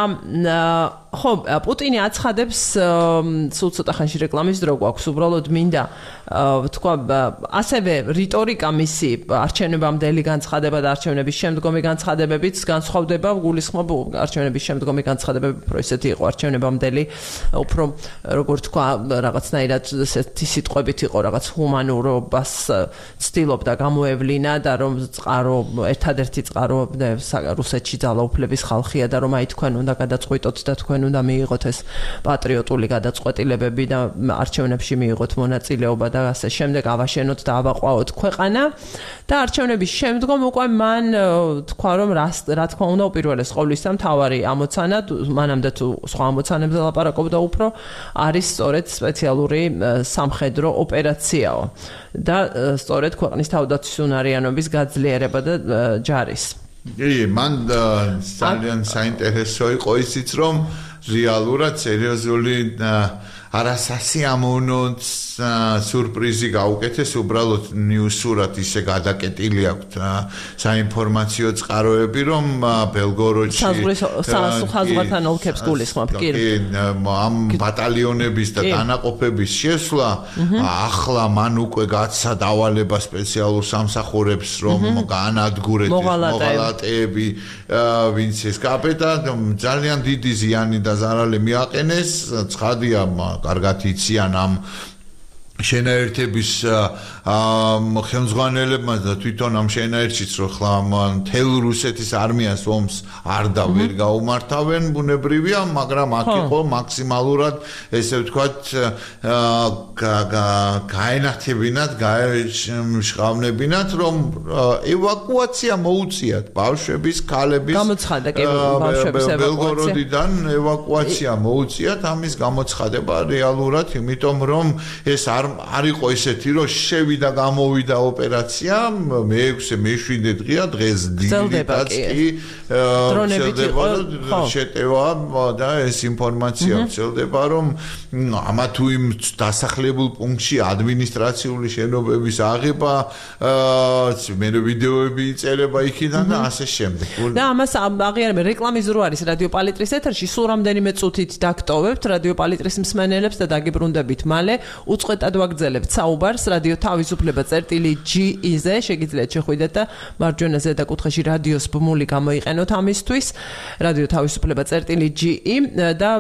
ხო პუტინი აცხადებს სულ ცოტა ხანში რეკლამის დრო გვაქვს უბრალოდ მინდა თქვა ასევე რიტორიკა მისი არჩევნებამდელი განცხადება და არჩევნების შემდგომი განცხადებებიც განსხვავდება გულისხმობ არჩევნების შემდგომი განცხადებები უფრო ისეთი იყო არჩევნებამდელი უფრო როგორ თქვა რაღაცნაირად ესეთი სიტყვებით იყო რაღაც ჰუმანურობას ცდილობდა გამოევლინა და რომ წყარო ერთადერთი წყარო რუსეთში ძალაუფლების ხალხია და რომ აი თქვენ უნდა გადაწყვიტოთ და თქვენ უნდა მიიღოთ ეს პატრიოტული გადაწყვეტილებები და არჩევნებში მიიღოთ მონაწილეობა და ასე შემდეგ ავაშენოთ და ავაყვაოთ ქვეყანა და არჩევნების შემდგომ უკვე მან თქვა რომ რა თქმა უნდა უპირველეს ყოვლისა მთავარი ამოცანა მანამდე თუ სხვა ამოცანებზე ლაპარაკობდა უფრო არის სწორედ სპეციალური სამხედრო ოპერაციაო და სწორედ ქვეყნის თავდაცვის უნარიანობის გაძლიერება და ჯარის მან ძალიან საინტერესო იყო ისიც რომ რეალურად სერიოზული არასასიამოვნო სურპრიზი გაუკეთეს უბრალოდ ნიუსურად ისე გადაკეტილი აქვს საინფორმაციო წყაროები რომ ბელგოროდში საზღვართან ოლქებს გულისხმობ კი ამ ბატალიონების და დანაყოფების შესვლა ახლა მან უკვე გაცა დავალება სპეციალურ სამსახურებს რომ განადგურეთ მოღალატეები ვინც ეს კაპეტა ძალიან დიდი ზიანი და ზარალი მიაყენეს ცხადია კარგად იციან ამ შენაერთების ხელმძღვანელებმა და თვითონ ამ შენაერთშიც რო ხლა მთელ რუსეთის არმიას ომს არ და ვერ გაუმართავენ ბუნებრივია მაგრამ აქ იყო მაქსიმალურად ესე ვთქვათ გაენათებინათ გაეშყავნებინათ რომ ევაკუაცია მოუწიათ ბავშვების ქალების გამოცხადა კი ბავშვების ბელგოროდიდან ევაკუაცია მოუწიათ ამის გამოცხადება რეალურად იმიტომ რომ ეს არ იყო ისეთი რომ შევიდა გამოვიდა ოპერაცია მე-6 დღეა დღეს დილითაც კი დრონებით იყო შეტევა და ეს ინფორმაცია ვრცელდება რომ ამა თუ იმ დასახლებულ პუნქტში ადმინისტრაციული შენობების აღება მე ვიდეოები იწერება იქიდან და ასე შემდეგ და ამას აღიარებენ რეკლამის დრო არის რადიო პალიტრის ეთერში სულ რამდენიმე წუთით დაგტოვებთ რადიო პალიტრის მსმენელებს და დაგიბრუნდებით მალე უწყვეტად ვაგრძელებთ საუბარს რადიო თავისუფლება წერტილი.ge-ზე შეგიძლიათ შეხვიდეთ და მარჯვენა ზედა კუთხეში რადიოს ბმული გამოიყენოთ ამისთვის რადიო თავისუფლება წერტილი.ge და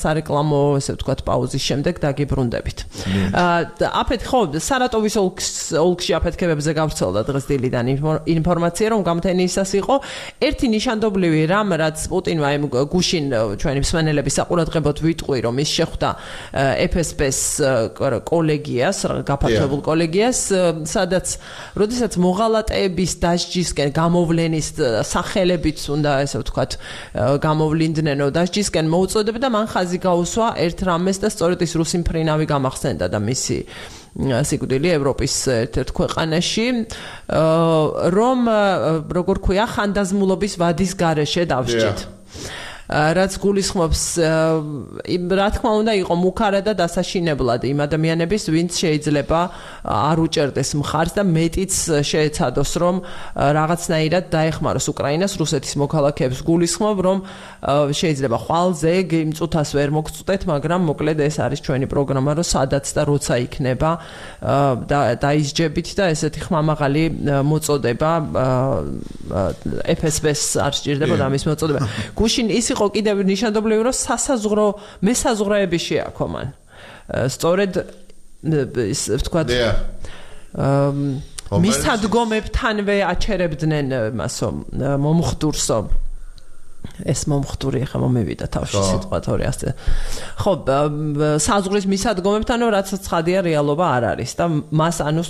სარეკლამო ესე ვთქვათ პაუზის შემდეგ დაგიბრუნდებით აფეთ ხო სარატოვის ოლქში აფეთქებებზე გავრცელდა დღეს დილიდან ინფორმაცია რომ გამთენიისას იყო ერთი ნიშანდობლივი რამ რაც პუტინმა იმ გუშინ ჩვენი მსმენელების საყურადღებოდ ვიტყვი რომ ის შეხვდა FSB-ს კოლეგიას, გაფართოებულ კოლეგიას, სადაც როდესაც მოღალატეების დასჯისკენ გამოვლენის სახელებით უნდა ესე ვთქვათ გამოვლინდნენო დასჯისკენ მოუწოდებდა მან ხაზი გაუსვა ერთ რამეს და სწორედ ის რუსი მფრინავი გამახსენდა და მისი სიკვდილი ევროპის ერთ-ერთ ქვეყანაში რომ როგორ ქვია ხანდაზმულობის ვადის გარეშე დავსჯით რაც გულისხმობს რა თქმა უნდა იყო მუქარა და დასაშინებლად იმ ადამიანების ვინც შეიძლება არ უჭერდეს მხარს და მეტიც შეეცადოს რომ რაღაცნაირად დაეხმაროს უკრაინას რუსეთის მოქალაქეებს გულისხმობ რომ შეიძლება ხვალზე იმ წუთას ვერ მოგწყვეტ მაგრამ მოკლედ ეს არის ჩვენი პროგრამა რომ სადაც და როცა იქნება დაისჯებით და ესეთი ხმამაღალი მოწოდება FSB-ს არ სჭირდებოდა ამის მოწოდება გუშინ ის იყო კიდევ ნიშანდობლივი რომ სასაზღვრო მესაზღვრეები შეაქო მან სწორედ ვთქვათ მისადგომებთანვე აჩერებდნენ მასო მომხდურსო ეს მომხდური ხა მომივიდა თავში სიტყვა თორე ასე ხო საზღვრის მისადგომებთანო რაც ცხადია რეალობა არ არის და მას ანუ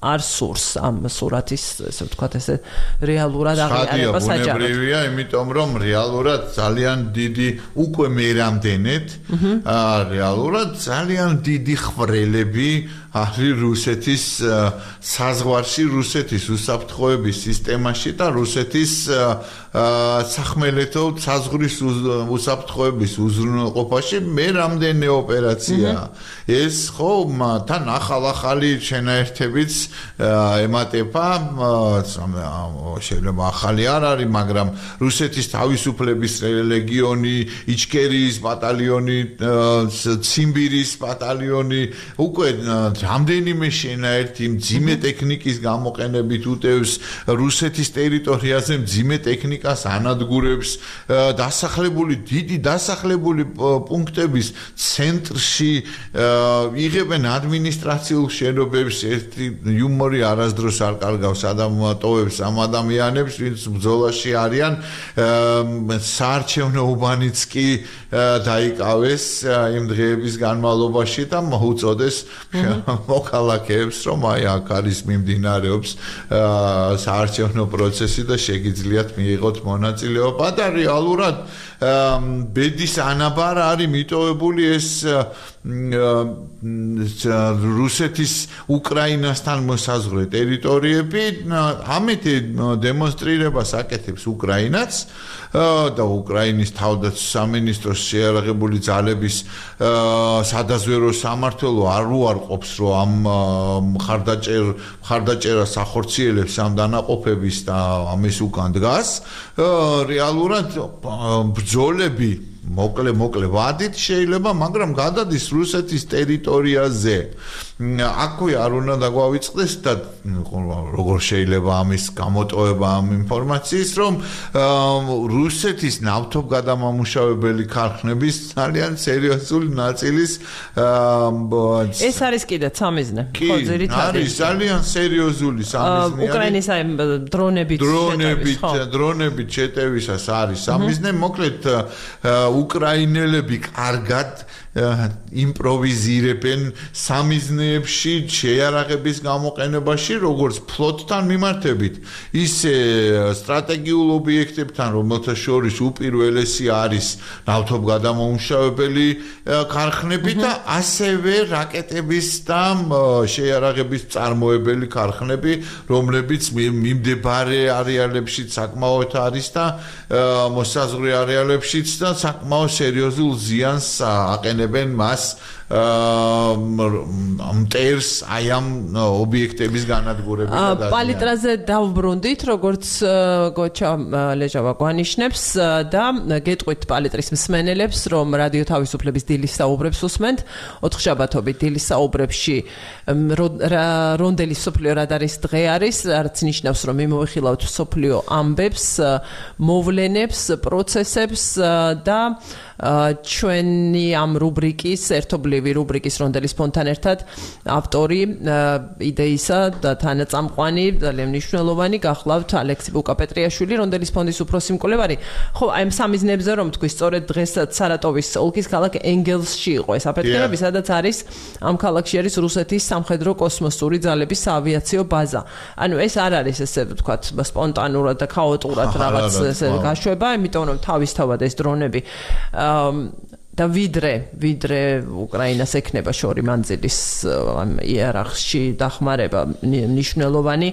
არ სურს ამ სურათის ესე ვთქვათ ესე რეალურად აღიარება საჯაროდ. ბუნებრივია, იმიტომ რომ რეალურად ძალიან დიდი უკვე მერამდენეთ რეალურად ძალიან დიდი ხვრელები არის რუსეთის საზღვარში, რუსეთის უსაფრთხოების სისტემაში და რუსეთის სახმელეთო საზღვრის უსაფრთხოების უზრუნველყოფაში მერამდენე ოპერაცია. ეს ხო თან ახალი შენაერთებიც ემატება შეიძლება ახალი არ არის მაგრამ რუსეთის თავისუფლების ლეგიონი, იჩკერიის ბატალიონი, ციმბირის ბატალიონი უკვე რამდენიმე შენაერთი მძიმე ტექნიკის გამოყენებით უტევს რუსეთის ტერიტორიაზე მძიმე ტექნიკას ანადგურებს დიდი დასახლებული პუნქტების ცენტრში იღებენ ადმინისტრაციულ შენობებს ერთი იუმორი არასდროს არ კარგავს ადამიანებს ამ ადამიანებს ვინც ბრძოლაში არიან საარჩევნო უბანიც კი დაიკავეს იმ დღეების განმავლობაში და მოუწოდეს მოქალაქეებს რომ აი აქ არის მიმდინარეობს საარჩევნო პროცესი და შეგიძლიათ მიიღოთ მონაწილეობა და რეალურად ბედის ანაბარ არის მიტოვებული ეს რუსეთის უკრაინასთან მოსაზღვრე ტერიტორიები ამით დემონსტრირებას აკეთებს უკრაინაც და უკრაინის თავდაცვის სამინისტროს შეიარაღებული ძალების სადაზვერო სამმართველო არ უარყოფს რომ ამ მხარდაჭერას ახორციელებს ამ დანაყოფების და ამის უკან დგას რეალურად ბრძოლები მოკლე ვადით შეიძლება მაგრამ გადადის რუსეთის ტერიტორიაზე აქვე არ უნდა დაგვავიწყდეს და როგორ შეიძლება ამის გამოტოვება ამ ინფორმაციის რომ რუსეთის ნავთობგადამამუშავებელი ქარხნების ძალიან სერიოზული ნაწილის ეს არის კიდე სამიზნე ხო ძირითადად არის ძალიან სერიოზული სამიზნე უკრაინის აი დრონებით შეტევისას არის სამიზნე მოკლედ უკრაინელები კარგად იმპროვიზირებენ სამიზნეებში შეიარაღების გამოყენებაში როგორც ფლოტთან მიმართებით ისე სტრატეგიულ ობიექტებთან რომელთა შორის უპირველესი არის ნავთობგადამამუშავებელი ქარხნები და ასევე რაკეტების და შეიარაღების წარმოებელი ქარხნები რომლებიც მიმდებარე არეალებშიც საკმაოდ არის და მოსაზღვრე არეალებშიც და საკმაოდ სერიოზულ ზიანს აყენებენ მას მტერს აი ამ ობიექტების განადგურებით და პალიტრაზე დავბრუნდით როგორც გოჩა ლეჟავა გვანიშნებს და გეტყვით პალიტრის მსმენელებს რომ რადიო თავისუფლების დილის საუბრებს უსმენთ ოთხშაბათობით დილის საუბრებში რონდელის სოფლიო რადარის დღე არის რაც ნიშნავს რომ მიმოვიხილავთ სოფლიო ამბებს მოვლენებს პროცესებს და ჩვენი ამ რუბრიკის ერთობლივი ბუნებრივი რუბრიკის რონდელის ფონთან ერთად ავტორი იდეისა და თანაწამყვანი ძალიან მნიშვნელოვანი გახლავთ ალექსი ბუკაპეტრიაშვილი რონდელის ფონდის უფროსი მკვლევარი. ხო, აი ამ სამიზნებზე რომ თქვი, სწორედ დღესაც სარატოვის ოლქის ქალაქ ენგელსში იყო ეს აფეთქებები, სადაც არის ამ ქალაქში არის რუსეთის სამხედრო კოსმოსური ძალების საავიაციო ბაზა. ანუ ეს არ არის ესე ვთქვათ სპონტანურად და ქაოტურად რაღაც ესე გაშვება, იმიტომ რომ თავისთავად ეს დრონები და ვიდრე უკრაინას ექნება შორი მანძილის იერარქიაში დახმარება მნიშვნელოვანი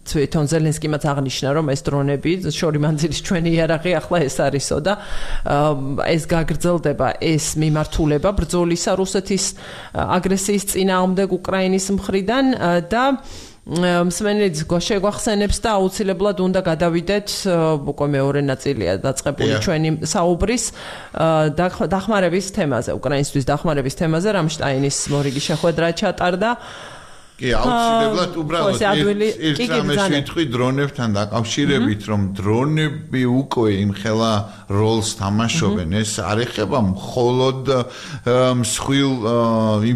თვითონ ზელენსკიმაც აღნიშნა რომ ეს დრონები შორი მანძილის ჩვენი იერარქი ახლა ეს არისო და ეს გაგრძელდება ეს მიმართულება ბრძოლისა რუსეთის აგრესიის წინააღმდეგ უკრაინის მხრიდან და მსმენელიც შეგვახსენებს და აუცილებლად უნდა გადავიდეთ უკვე მეორე ნაწილია დაწყებული ჩვენი საუბრის დახმარების თემაზე, უკრაინისთვის დახმარების თემაზე, რამშტაინის მორიგი შეხვედრა ჩატარდა. კი, აუცილებლად უბრალოდ ერთ დრონებთან დაკავშირებით, რომ დრონები უკვე იმხელა როლს თამაშობენ, ეს არ ეხება მხოლოდ მსხვილ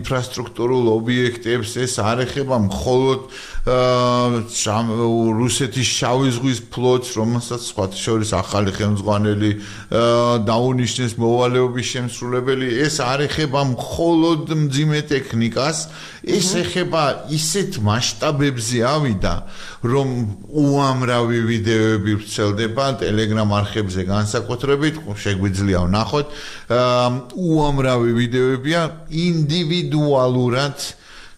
ინფრასტრუქტურულ ობიექტებს, ეს არ ეხება მხოლოდ რუსეთის შავი ზღვის ფლოტს, რომელსაც სხვათა შორის ახალი ხელმძღვანელი დაუნიშნეს მოვალეობის შემსრულებელი, ეს არ ეხება მხოლოდ მძიმე ტექნიკას, ეს ეხება ისეთ მასშტაბებზე ავიდა, რომ უამრავი ვიდეოები ვრცელდება Telegram არხებზე განსაკუთრებით, შეგვიძლია ვნახოთ, უამრავი ვიდეოებია ინდივიდუალურად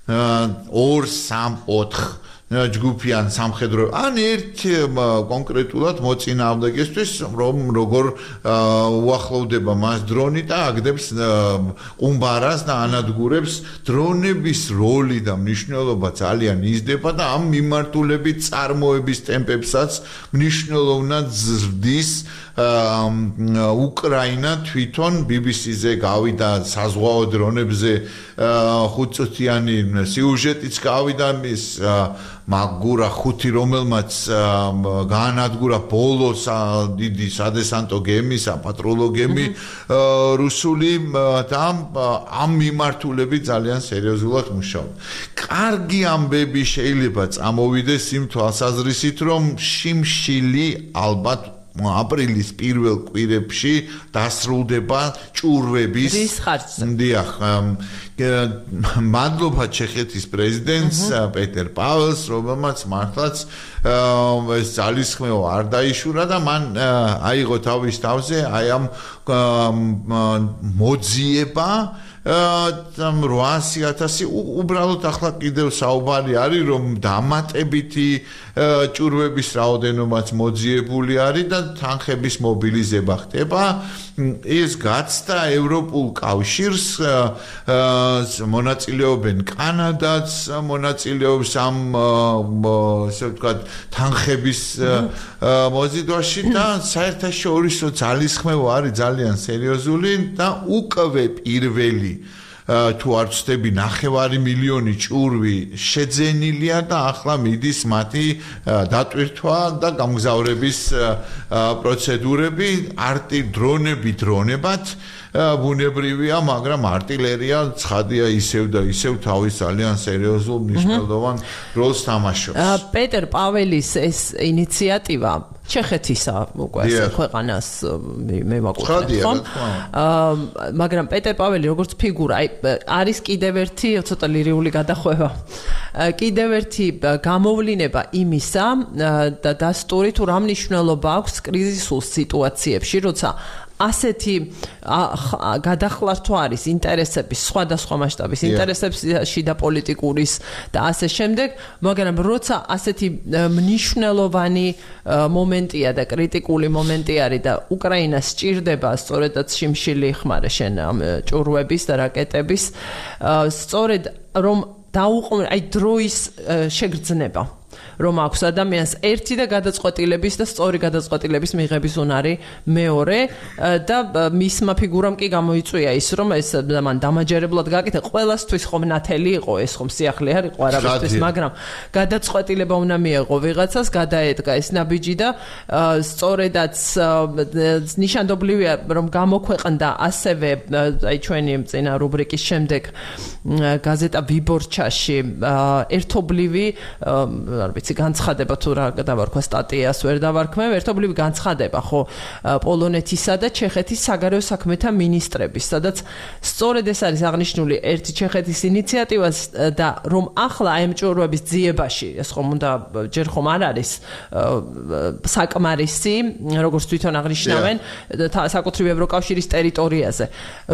2-3-4 ჯგუფიან სამხედრო ან ერთ კონკრეტულად მოწინააღმდეგესთვის რომ როგორ უახლოვდება მას დრონი და აგდებს ყუმბარას და ანადგურებს დრონების როლი და მნიშვნელობა ძალიან იზრდება და ამ მიმართულებით წარმოების ტემპებსაც მნიშვნელოვნად ზრდის უკრაინა თვითონ BBC-ზე გავიდა საზღვაო დრონებზე 5 წუთიანი სიუჟეტიც გავიდა მის მაგურა 5 რომელმაც გაანადგურა ბოლოს დიდი სადესანტო გემი, საპატრულო გემი რუსული და ამ მიმართულებით ძალიან სერიოზულად მუშაობ. კარგი ამბები შეიძლება წამოვიდეს იმ თვალსაზრისით, რომ შიმშილი ალბათ აპრილის პირველ კვირებში დასრულდება ჭურვების დიახ მადლობა ჩეხეთის პრეზიდენტს პეტერ პაველს რომელმაც მართლაც ეს ძალისხმევა არ დაიშურა და მან აიღო თავის თავზე აი ამ მოძიება 800,000 უბრალოდ ახლა კიდევ საუბარი არის რომ დამატებითი ჭურვების რაოდენობაც მოძიებული არის და თანხების მობილიზება ხდება ეს გაცდა ევროპულ კავშირს მონაწილეობენ კანადაც მონაწილეობს ამ ასე ვთქვათ თანხების მოზიდვაში და საერთაშორისო ძალისხმევა არის ძალიან სერიოზული და უკვე პირველი თუ არ ვცდები 9,5 ჭურვი შეძენილია და ახლა მიდის მათი დატვირთვა და გამგზავრების პროცედურები დრონებად ბუნებრივია, მაგრამ არტილერია ცხადია ისევ და ისევ თავის ძალიან სერიოზულ მნიშვნელოვან როლს თამაშობს. პეტერ პაველის ეს ინიციატივა ჩეხეთისა უკვე ქვეყანას მევაკუთვნეთ, ხო? მაგრამ პეტერ პაველი როგორც ფიგურა, არის კიდევ ერთი ცოტა ლირიული გადახვევა. კიდევ ერთი გამოვლინება იმისა და დასტური თუ რა მნიშვნელობა აქვს კრიზისულ სიტუაციებში, როცა ასეთი გადახლართვა არის ინტერესების სხვადასხვა მასშტაბის ინტერესებში და პოლიტიკურის და ასე შემდეგ, მაგრამ როცა ასეთი მნიშვნელოვანი მომენტია და კრიტიკული მომენტი არის და უკრაინას სჭირდება სწორედაც შიმშილი ხმარე შენ ამ ჭურვების და რაკეტების სწორედ რომ დაუყოვნე აი დროის შეგრძნება რომ აქვს ადამიანს ერთი და გადაწყვეტილების და სწორი გადაწყვეტილების მიღების უნარი მეორე და მისმა ფიგურამ კი გამოიწვია ის რომ ეს მან დამაჯერებლად გაკეთა ყველასთვის ხომ ნათელი იყო ეს ხომ სიახლე არ იყო არაბისთვის მაგრამ გადაწყვეტილება უნდა მიეღო ვიღაცას გადაედგა ეს ნაბიჯი და სწორედაც ნიშანდობლივია რომ გამოქვეყნდა ასევე აი ჩვენი წინა რუბრიკის შემდეგ გაზეტა ვიბორჩაში ერთობლივი არ ვიცი განცხადება თუ რა დავარქვა სტატიას ვერ დავარქმევ ერთობლივი განცხადება ხო პოლონეთისა და ჩეხეთის საგარეო საქმეთა მინისტრების სადაც სწორედ ეს არის აღნიშნული ერთი ჩეხეთის ინიციატივას და რომ ახლა აი მჭურვების ძიებაში ეს ხომ უნდა ჯერ ხომ არ არის საკმარისი როგორც თვითონ აღნიშნავენ საკუთრივ ევროკავშირის ტერიტორიაზე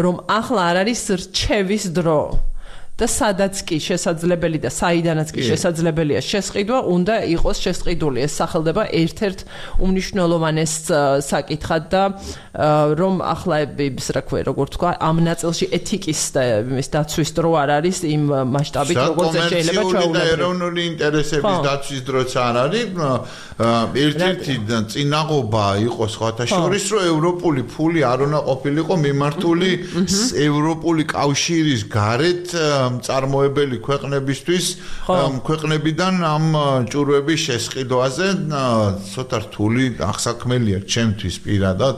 რომ ახლა არ არის რჩევის დრო და სადაც კი შესაძლებელი და საიდანაც კი შესაძლებელია შესყიდვა, უნდა იყოს შესყიდული. ეს სახელდება ერთ-ერთ უმნიშვნელოვანეს საკითხად და რომ ახლა ის რა ქვია, როგორ თქვა, ამ ნაწილში ეთიკის და იმის დაცვის დრო არ არის იმ მასშტაბით, როგორც შეიძლება ჩვეულებრივ. ეროვნული ინტერესების დაცვის დროც არ არის. ერთ-ერთი წინაღობა იყოს სხვათა შორის, რომ ევროპული ფული არ უნდა ყოფილიყო მიმართული ევროპული კავშირის გარეთ წარმოებელი ქვეყნებისთვის ქვეყნებიდან ამ ჭურვების შესყიდვაზე ცოტა რთული აღსაქმელია ჩემთვის პირადად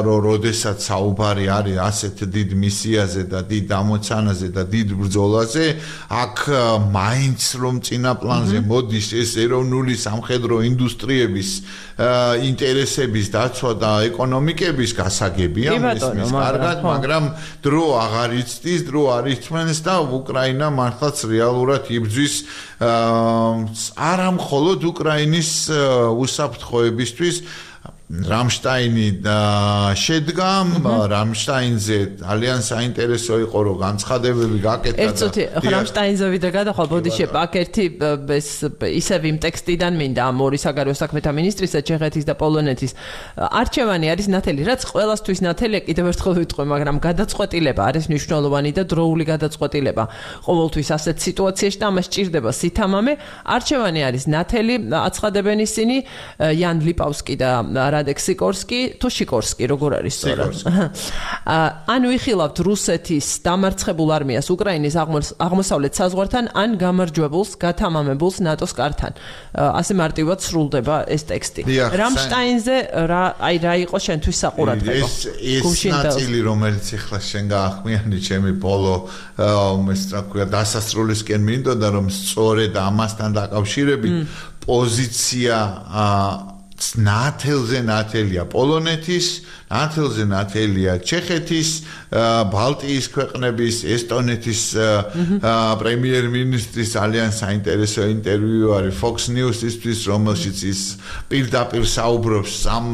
რომ როდესაც საუბარი არის ასეთ დიდ მისიაზე და დიდ ამოცანაზე და დიდ ბრძოლაზე აქ მაინც რომ წინა პლანზე მოდის ეს ეროვნული სამხედრო ინდუსტრიების ინტერესების დაცვა და ეკონომიკების გასაგებია მისმის კარგად მაგრამ დრო აღარ იცდის დრო არ იწმენს და უკრაინა მართლაც რეალურად იბრძვის არა მხოლოდ უკრაინის უსაფრთხოებისთვის რამშტაინი შედგა რამშტაინზე ძალიან საინტერესო იყო რომ განცხადებები გაკეთა და ერთოთი რამშტაინზე ვიდრე გადახვალ ბოდიში აქ ერთი ეს ისევ იმ ტექსტიდან მინდა ამ ორი საგარეო საქმეთა მინისტრისა ჩეხეთის და პოლონეთის არჩევანი არის ნათელი რაც ყველასთვის ნათელია კიდევ ერთხელ ვიტყვი მაგრამ გადაწყვეტილება არის მნიშვნელოვანი და დროული გადაწყვეტილება ყოველთვის ასეთ სიტუაციაში და ამას სჭირდება სითამამე არჩევანი არის ნათელი აცხადებენ ისინი იან ლიპავსკი და რადეკ სიკორსკი თუ შიკორსკი როგორ არის სწორად ან ვიხილავთ რუსეთის დამარცხებულ არმიას უკრაინის აღმოსავლეთ საზღვართან ან გამარჯვებულს გათამამებულს ნატოს კართან ასე მარტივად სრულდება ეს ტექსტი რამშტაინზე რა იყო შენთვის საყურადღებო ეს ნაწილი რომელიც ახლა შენ გაახმიანი ჩემი ბოლო ეს რა ქვია დასასრულისკენ მინდოდა რომ სწორედ ამასთან დაკავშირებით პოზიცია ნათელზე ნათელია პოლონეთის, ნათელზე ნათელია ჩეხეთის, ბალტიის ქვეყნების, ესტონეთის პრემიერ-მინისტრის ძალიან საინტერესო ინტერვიუ არის Fox News-ისთვის, რომელშიც ის პირდაპირ საუბრობს ამ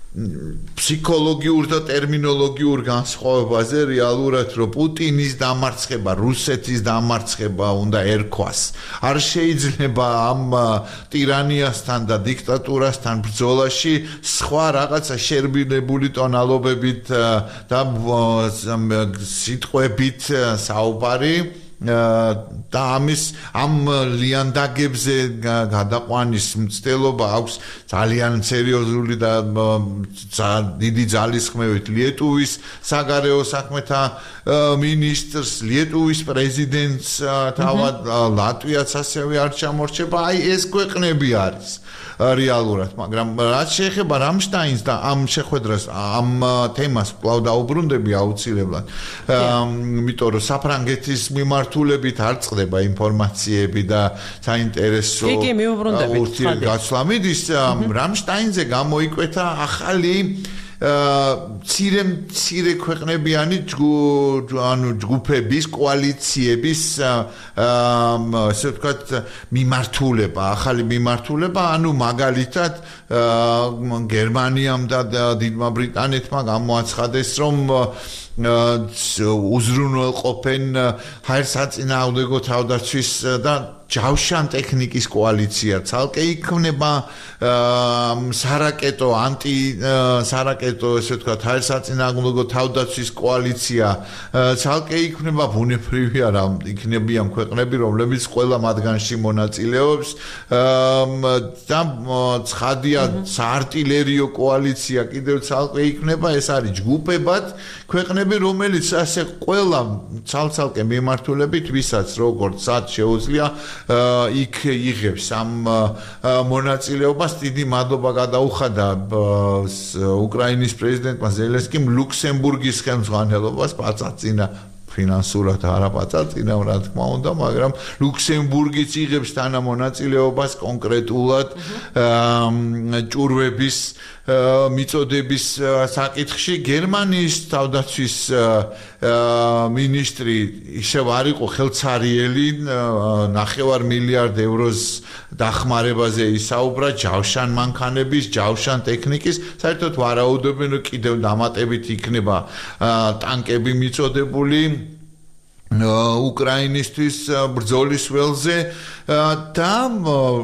ფსიქოლოგიურ და ტერმინოლოგიურ განსხვავებაზე რეალურად რომ პუტინის დამარცხება, რუსეთის დამარცხება უნდა ერქვას. არ შეიძლება ამ ტირანიასთან და დიქტატურასთან ბრძოლაში სხვა რაღაცა შერბილებული ტონალობებით და სიტყვებით საუბარი და ამის ამ ლიანდაგებზე გადაყვანის მცდელობა აქვს ძალიან სერიოზული და დიდი ძალისხმევით ლიეტუვის საგარეო საქმეთა მინისტრს ლიეტუვის პრეზიდენტს თავად ლატვიაც ასევე არ ჩამორჩება აი ეს ქვეყნები არის რეალურად მაგრამ რაც შეეხება რამშტაინს და ამ შეხვედრას ამ თემას კვლავ დაუბრუნდები აუცილებლად იმიტომ რომ საფრანგეთის მიმართულებით არ წყდება ინფორმაციები და საინტერესო ურთიერთგაცვლა მიდის რამშტაინზე გამოიკვეთა ახალი მცირე ქვეყნებიანი ჯგუფების კოალიციების ასე ვთქვათ მიმართულება ახალი მიმართულება ანუ მაგალითად გერმანიამ და დიდმა ბრიტანეთმა გამოაცხადეს რომ უზრუნველყოფენ ჰაერსაწინააღმდეგო თავდაცვის და ჯავშან ტექნიკის კოალიცია, ცალკე იქნება სარაკეტო სარაკეტო ესე ვთქვათ საერთაშორისო თავდაცვის კოალიცია, ცალკე იქნება ბუნებრივი არა იქნებიან ქვეყნები, რომლებიც ყველა მათგანში მონაწილეობს და ცხადია საარტილერიო კოალიცია კიდევ ცალკე იქნება, ეს არის ჯგუფებად ქვეყნები, რომელიც ასე ყველა ცალ-ცალკე მიმართულებით ვისაც როგორც სად შეუძლია იქ იღებს ამ მონაწილეობას. დიდი მადლობა გადაუხადა უკრაინის პრეზიდენტმა ზელენსკიმ ლუქსემბურგის ხელმძღვანელობას პაწაწინა ფინანსურად არა პაწაწინა რა თქმა უნდა, მაგრამ ლუქსემბურგიც იღებს თანამონაწილეობას კონკრეტულად ჭურვების მიწოდების საკითხში. გერმანიის თავდაცვის მინისტრი ისევ არ იყო ხელცარიელი, 9 მილიარდ ევროს დახმარებაზე ისაუბრა ჯავშან მანქანების, ჯავშან ტექნიკის, საერთოდ ვარაუდობენ რომ კიდევ დამატებით იქნება ტანკები მიწოდებული უკრაინისთვის ბრძოლის ველზე და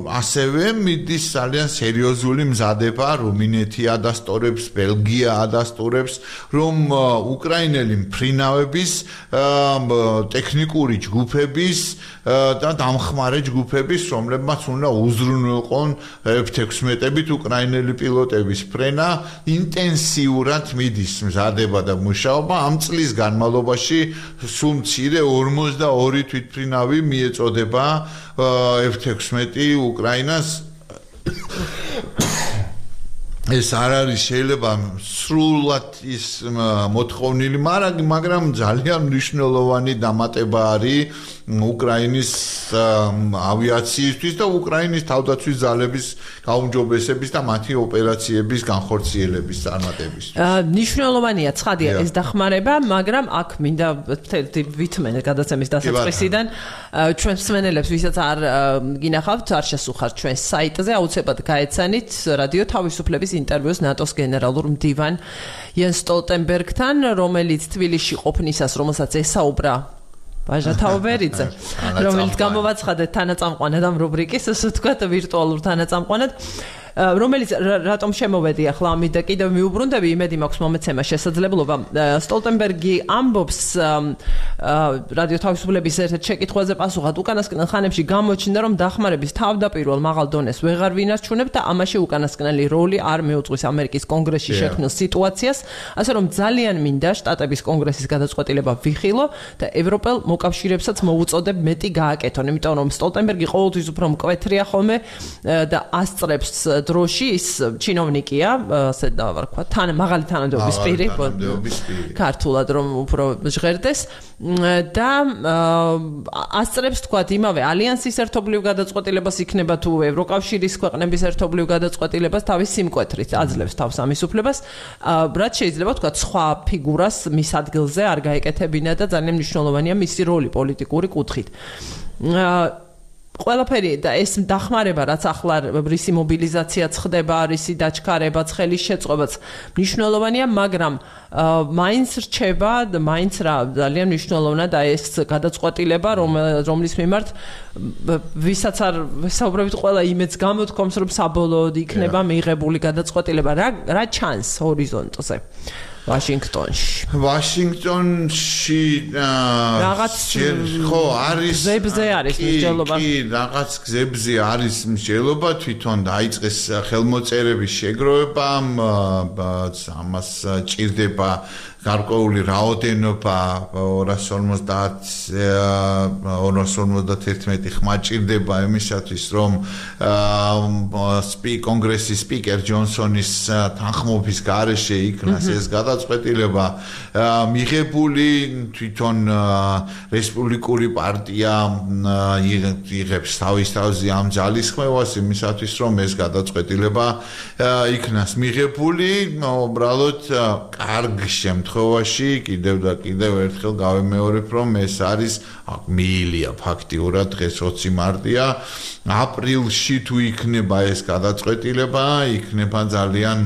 ასევე მიდის ძალიან სერიოზული მზადება რუმინეთი ადასტურებს, ბელგია ადასტურებს, რომ უკრაინელი მფრინავების ტექნიკური ჯგუფების და დამხმარე ჯგუფების, რომლებმაც უნდა უზრუნველყონ F-16-ით უკრაინელი პილოტების ფრენა, ინტენსიურად მიდის მზადება და მუშაობა. ამ წლის განმავლობაში სულ მცირე 42 თვითმფრინავი მიეწოდება F-16 უკრაინას. ეს არ არის შეიძლება სრულად ის მოთხოვნილი, მაგრამ ძალიან მნიშვნელოვანი დამატება არის უკრაინის ავიაციისთვის და უკრაინის თავდაცვის ძალების გაუმჯობესების და მათი ოპერაციების განხორციელების წარმატებისთვის. მნიშვნელოვანია ცხადია ეს დახმარება, მაგრამ აქ მინდა ვითმენ გადაცემის დასაწყისიდან ჩვენ მსმენელებს, ვისაც არ გინახავთ, არ შესუხართ ჩვენს საიტზე, აუცილებლად გაეცანით რადიო თავისუფლების ინტერვიუს ნატოს გენერალურ მდივან იენს სტოლტენბერგთან, რომელიც თბილისში ყოფნისას, რომელსაც ესაუბრა ბაჟა თაუბერიძე, რომელიც გამოვაცხადეთ თანაწამყვანად ამ რუბრიკის, ასე ვთქვათ, ვირტუალურ თანაწამყვანად, რომელიც რატომ შემოვედი ახლა ამით და კიდევ მიუბრუნდები, იმედი მაქვს მომეცემა შესაძლებლობა. სტოლტენბერგი ამბობს რადიო თავისუფლების ერთ-ერთ შეკითხვაზე პასუხად, უკანასკნელ ხანებში გამოჩნდა, რომ დახმარების თავდაპირველ მაღალ დონეს ვეღარ ვინარჩუნებ და ამაში უკანასკნელი როლი არ მიუძღვის ამერიკის კონგრესში შექმნილ სიტუაციას, ასე რომ ძალიან მინდა შტატების კონგრესის გადაწყვეტილება ვიხილო და ევროპელ მოკავშირეებსაც მოუწოდებ მეტი გააკეთონ, იმიტომ რომ სტოლტენბერგი ყოველთვის უფრო მკვეთრია ხოლმე და ასწრებს დროში ის ჩინოვნიკია, ასე დავარქვა, მაღალი თანამდებობის პირი, ქართულად რომ უფრო ჟღერდეს და ასწრებს თქვათ იმავე ალიანსის ერთობლივ გადაწყვეტილებას იქნება თუ ევროკავშირის ქვეყნების ერთობლივ გადაწყვეტილებას თავის სიმკვეთრით აძლევს თავს ამის უფლებას, რაც შეიძლება თქვათ სხვა ფიგურას მის ადგილზე არ გაეკეთებინა და ძალიან მნიშვნელოვანია მისი როლი პოლიტიკური კუთხით. ყველაფერი და ეს დახმარება, რაც ახლა რისი მობილიზაციაც ხდება, რისი დაჩქარებაც, ხელის შეწყობაც მნიშვნელოვანია, მაგრამ მაინც რჩება, მაინც რა ძალიან მნიშვნელოვანია და ეს გადაწყვეტილება, რომლის მიმართ ვისაც არ ვესაუბრებით, ყველა იმედს გამოთქვამს, რომ საბოლოოდ იქნება მიღებული გადაწყვეტილება, რა ჩანს ჰორიზონტზე. ვაშინგტონში რაღაც ხო არის გზებზე არის მსჯელობა. კი, რაღაც გზებზე არის მსჯელობა, თვითონ დაიწყეს ხელმოწერების შეგროვება, ამას ჭირდება გარკვეული რაოდენობა 251 ხმა ჭირდება იმისათვის, რომ კონგრესის სპიკერ ჯონსონის თანხმობის გარეშე იქნას ეს გადაწყვეტილება მიღებული. თვითონ რესპუბლიკური პარტია იღებს თავის თავზე ამ ძალისხმევას იმისათვის, რომ ეს გადაწყვეტილება იქნას მიღებული. უბრალოდ კარგ შემთხვევაში კიდევ და კიდევ ერთხელ გავემეორებ, რომ ეს არის მიილია ფაქტიურად დღეს 20 მარტია. აპრილში თუ იქნება ეს გადაწყვეტილება, იქნება ძალიან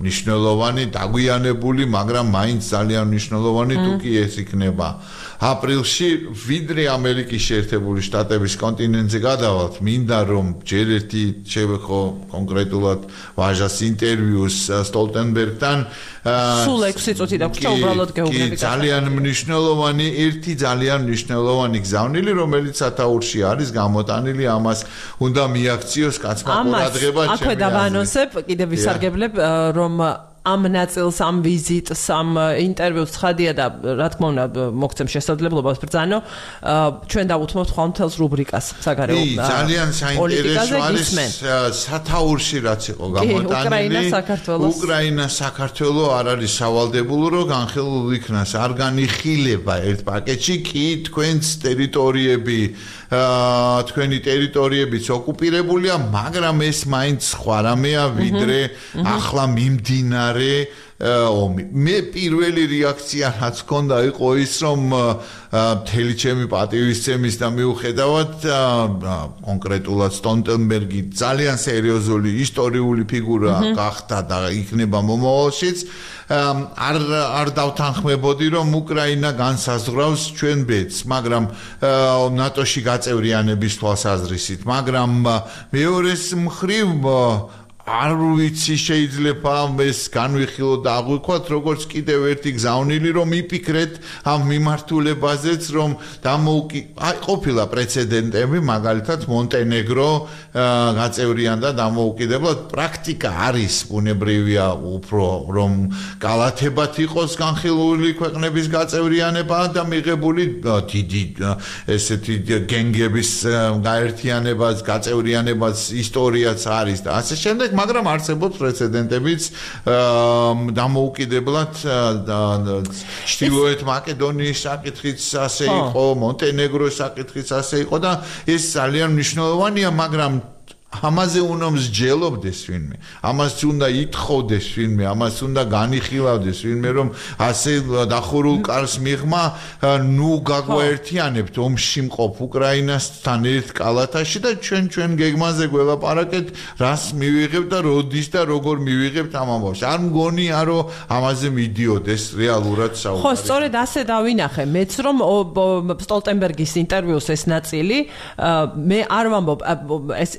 მნიშვნელოვანი, დაგვიანებული, მაგრამ მაინც ძალიან მნიშვნელოვანი თუ კი ეს იქნება. აპრილში ვიდრე ამერიკის შეერთებული შტატების კონტინენტზე გადავალთ, მინდა რომ ჯერ ერთი შევეხო კონკრეტულად ვაჟას ინტერვიუს სტოლტენბერგთან. სულ 6 წუთი დაგვრჩა უბრალოდ გეუგრაფიკა. ძალიან მნიშვნელოვანი, ერთი ძალიან მნიშვნელოვანი გზავნილი, რომელიც სათაურში არის გამოტანილი, ამას უნდა მიაქციოს კაცმა ყურადღება. აქვე დავანონსებ, კიდევ ვისარგებლებ, რომ ამ ნაწილს, ამ ვიზიტს, ამ ინტერვიუს ცხადია და რა თქმა უნდა მოგცემ შესაძლებლობას ბრძანო, ჩვენ დავუთმობთ ხვალ მთელს რუბრიკას საგარეო ძალიან საინტერესო არის სათაურში რაც იყო გამოტანილი უკრაინა საქართველო არ არის სავალდებულო რომ განხილულ იქნას არ განიხილება ერთ პაკეტში კი თქვენს ტერიტორიები თქვენი ტერიტორიებიც ოკუპირებულია მაგრამ ეს მაინც სხვა რამეა ვიდრე ახლა მიმდინარე ომი მე პირველი რეაქცია რაც ჰქონდა იყო ის რომ მთელი ჩემი პატივისცემის და მიუხედავად კონკრეტულად სტოლტენბერგი ძალიან სერიოზული ისტორიული ფიგურა გახდა და იქნება მომავალშიც არ დავთანხმებოდი რომ უკრაინა განსაზღვრავს ჩვენ ბედს მაგრამ ნატოში გაწევრიანების თვალსაზრისით მაგრამ მეორეს მხრივ არ ვიცი შეიძლება ეს განვიხილო და აღვიქვათ როგორც კიდევ ერთი გზავნილი რომ იფიქრეთ ამ მიმართულებაზეც რომ ყოფილა პრეცედენტები მაგალითად მონტენეგრო გაწევრიანდა დამოუკიდებლად პრაქტიკა არის ბუნებრივია უფრო რომ კალათებად იყოს განხილული ქვეყნების გაწევრიანება და მიღებული დიდი ესეთი გენგების გაერთიანებას გაწევრიანებას ისტორიაც არის და ასე შემდეგ მაგრამ არსებობს პრეცედენტებიც დამოუკიდებლად ჩრდილოეთ მაკედონიის საკითხიც ასე იყო მონტენეგროს საკითხიც ასე იყო და ეს ძალიან მნიშვნელოვანია მაგრამ ამაზე უნდა მსჯელობდეს ვინმე ამას უნდა ითხოვდეს ვინმე ამას უნდა განიხილავდეს ვინმე რომ ასე დახურულ კარს მიღმა ნუ გაგვაერთიანებთ ომში მყოფ უკრაინასთან ერთ კალათაში და ჩვენ გეგმაზე გველაპარაკეთ რას მივიღებთ და როდის და როგორ მივიღებთ ამ ამბავს არ მგონია რომ ამაზე მიდიოდეს რეალურად საუბარი ხო სწორედ ასე დავინახე მეც რომ სტოლტენბერგის ინტერვიუს ეს ნაწილი მე არ ვამბობ ეს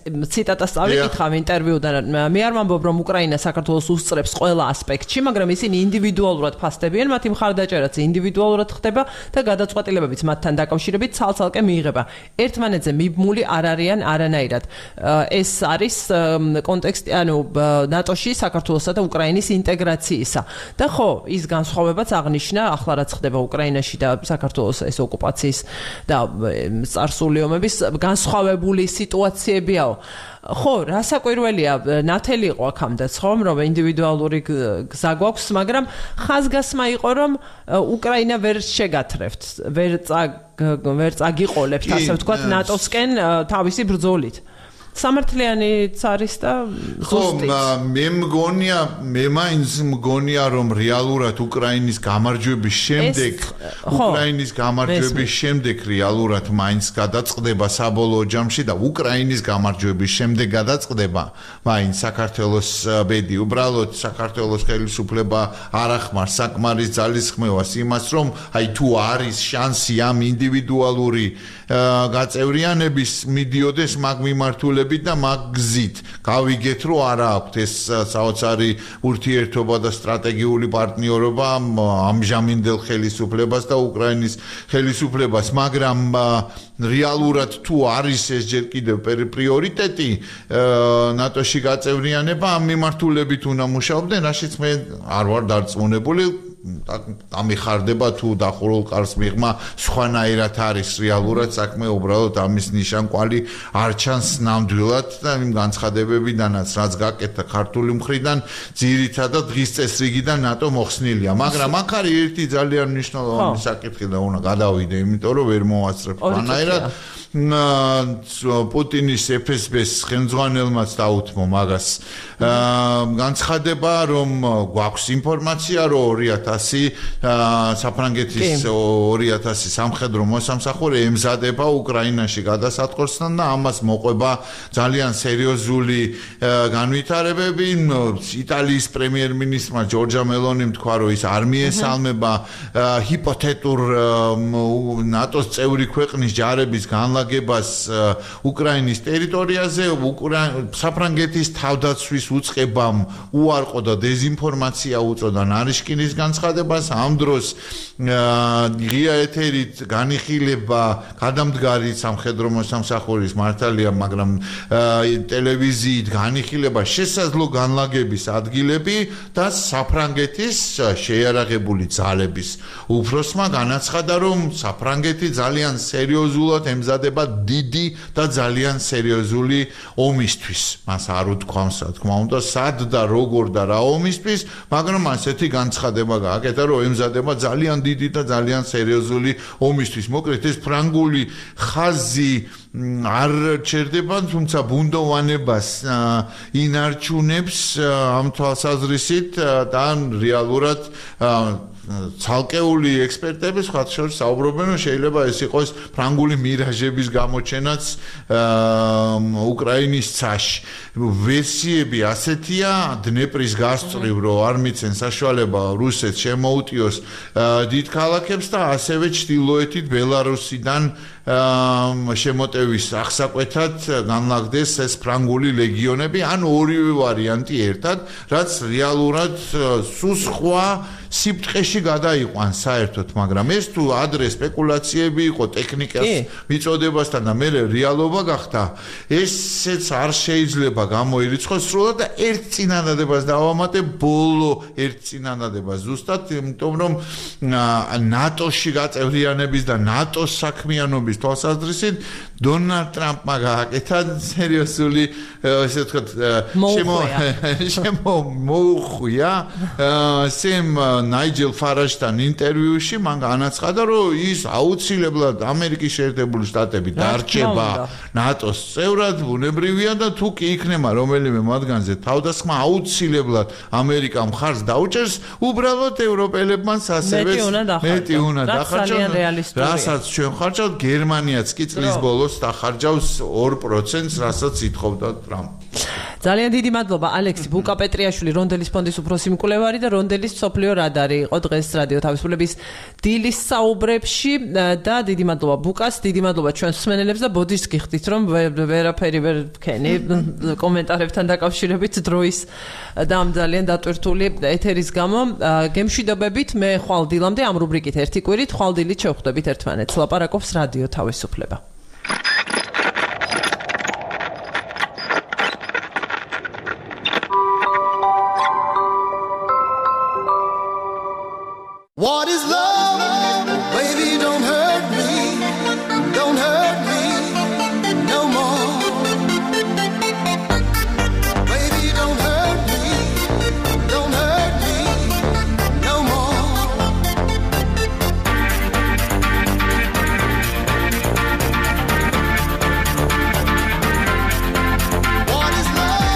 ციტატას წავიკითხავ ინტერვიუდან მე არ ვამბობ რომ უკრაინა საქართველოს უსწრებს ყველა ასპექტში მაგრამ ისინი ინდივიდუალურად ფასდებიან მათი მხარდაჭერაც ინდივიდუალურად ხდება და გადაწყვეტილებებიც მათთან დაკავშირებით ცალ-ცალკე მიიღება ერთმანეთზე მიბმული არ არიან არანაირად ეს არის კონტექსტი ანუ ნატოში საქართველოსა და უკრაინის ინტეგრაციისა და ხო ის განსხვავებაც აღნიშნა ახლა რაც ხდება უკრაინაში და საქართველოს ეს ოკუპაციის და წარსული ომების განსხვავებული სიტუაციებიაო ხო, რასაკვირველია, ნათელი იყო აქამდეც, ხომ, რომ ინდივიდუალური გზა გვაქვს, მაგრამ ხაზგასმა იყო, რომ უკრაინა ვერ შეგათრევთ, ვერ წაგიყოლებთ, ასე ვთქვათ, ნატოსკენ თავისი ბრძოლით. სამართლიანიც არის და ზუსტიც. მე მაინც მგონია რომ რეალურად უკრაინის გამარჯვების შემდეგ რეალურად მაინც გადაწყდება საბოლოო ჯამში და უკრაინის გამარჯვების შემდეგ გადაწყდება მაინც საქართველოს ბედი უბრალოდ საქართველოს ხელისუფლება არ ახმარს საკმარის ძალისხმევას იმას რომ აი თუ არის შანსი ამ ინდივიდუალური გაწევრიანების მიდიოდეს მაგ მიმართულებით და მაგზით გავიგეთ რომ არა აქვთ ეს საოცარი ურთიერთობა და სტრატეგიული პარტნიორობა ამჟამინდელ ხელისუფლებას და უკრაინის ხელისუფლებას მაგრამ რეალურად თუ არის ეს ჯერ კიდევ პრიორიტეტი ნატოში გაწევრიანება ამ მიმართულებით უნდა მუშაობდნენ რაშიც მე არ ვარ დარწმუნებული ამიხარდება თუ დახურულ კარს მიღმა სხვანაირად არის რეალურად საქმე უბრალოდ ამის ნიშანკვალი არ ჩანს ნამდვილად და იმ განცხადებებიდანაც რაც გაკეთდა ქართული მხრიდან ძირითადად დღის წესრიგიდან ნატო მოხსნილია მაგრამ აქ არის ერთი ძალიან მნიშვნელოვანი საკითხი და უნდა გადავიდე იმიტომ რომ ვერ მოვასწრებ სხვანაირად პუტინის FSB-ს ხელმძღვანელმაც დაუთმო მაგას განცხადება რომ გვაქვს ინფორმაცია რომ 2000 საფრანგეთის 2000 სამხედრო მოსამსახურე ემზადება უკრაინაში გადასატყორსთან და ამას მოყვება ძალიან სერიოზული განვითარებები იტალიის პრემიერ-მინისტრმა ჯორჯა მელონიმ თქვა რომ ის არ მიესალმება ჰიპოთეტურ ნატოს წევრი ქვეყნის ჯარების განლაგებას უკრაინის ტერიტორიაზე საფრანგეთის თავდაცვის უწყებამ უარყო და დეზინფორმაცია უწოდა ნარიშკინის განცხადებას ამ დროს ღია ეთერით განიხილება გადამდგარი სამხედრო მოსამსახურის მართალია მაგრამ ტელევიზიით განიხილება შესაძლო განლაგების ადგილები და საფრანგეთის შეიარაღებული ძალების უფროსმა განაცხადა რომ საფრანგეთი ძალიან სერიოზულად ემზადება დიდი და ძალიან სერიოზული ომისთვის მას არ უთქვამს რა თქმა უნდა სად და როგორ და რა ომისთვის მაგრამ ასეთი განცხადება გააკეთა რომ ემზადება ძალიან დიდი და ძალიან სერიოზული ომისთვის მოკლედ ეს ფრანგული ხაზი არ ჩერდება თუმცა ბუნდოვანებას ინარჩუნებს ამ თვალსაზრისით და რეალურად ცალკეული ექსპერტები სხვა შორის საუბრობენ რომ შეიძლება ეს იყოს ფრანგული მირაჟების გამოჩენაც უკრაინის ცაში ვერსიები ასეთია დნეპრის გასწვრივ რომ არ მიცენ საშუალება რუსეთს შემოუტიოს დიდ ქალაქებს და ასევე ჩრდილოეთით ბელარუსიდან შემოტევის აღსაკვეთად განლაგდეს ეს ფრანგული ლეგიონები ან ორივე ვარიანტი ერთად რაც რეალურად სულ სხვა სიფტყეში გადაიყვანს საერთოდ მაგრამ ეს თუ ადრე სპეკულაციები იყო ტექნიკას მიწოდებასთან და მე რეალობა გახდა ესეც არ შეიძლება გამოირიცხოს სრულად და ერთ წინადადებას დავამატე ბოლო ერთ წინადადებას ზუსტად იმიტომ რომ ნატოში გაწევრიანების და ნატოს საქმიანობის თვალსაზრისით დონალდ ტრამპმა გააკეთა სერიოზული ესე ვთქვათ შემოუხვია სემ ნაიჯელ ფარაჟთან ინტერვიუში მან განაცხადა რომ ის აუცილებლად ამერიკის შეერთებული შტატები დარჩება ნატოს წევრად ბუნებრივია და თუ კი იქნება რომელიმე მათგანზე თავდასხმა აუცილებლად ამერიკა მხარს დაუჭერს უბრალოდ ევროპელებმაც ასევე მეტი უნდა დახარჯოს რასაც ჩვენ ხარჯავთ გერმანიაც კი წლის ბოლოს დახარჯავს 2%-ს რასაც ითხოვდა ტრამპი ძალიან დიდი მადლობა ალექსი ბუკაპეტრიაშვილი რონდელის ფონდის უფროსი მკვლევარი და რონდელის სოფლიო რადარი იყო დღეს რადიო თავისუფლების დილის საუბრებში და დიდი მადლობა ბუკას დიდი მადლობა ჩვენს მსმენელებს და ბოდიშს გიხდით რომ ვერაფერი ვერ ვქენი კომენტარებთან დაკავშირებით დროის და ამ ძალიან დატვირთული ეთერის გამო გემშვიდობებით მე ხვალ დილამდე ამ რუბრიკით ერთი კვირით ხვალ დილით შევხვდებით ერთმანეთს ლაპარაკობს რადიო თავისუფლება What is love? Baby, don't hurt me. Don't hurt me no more. Baby, don't hurt me. Don't hurt me no more. What is love?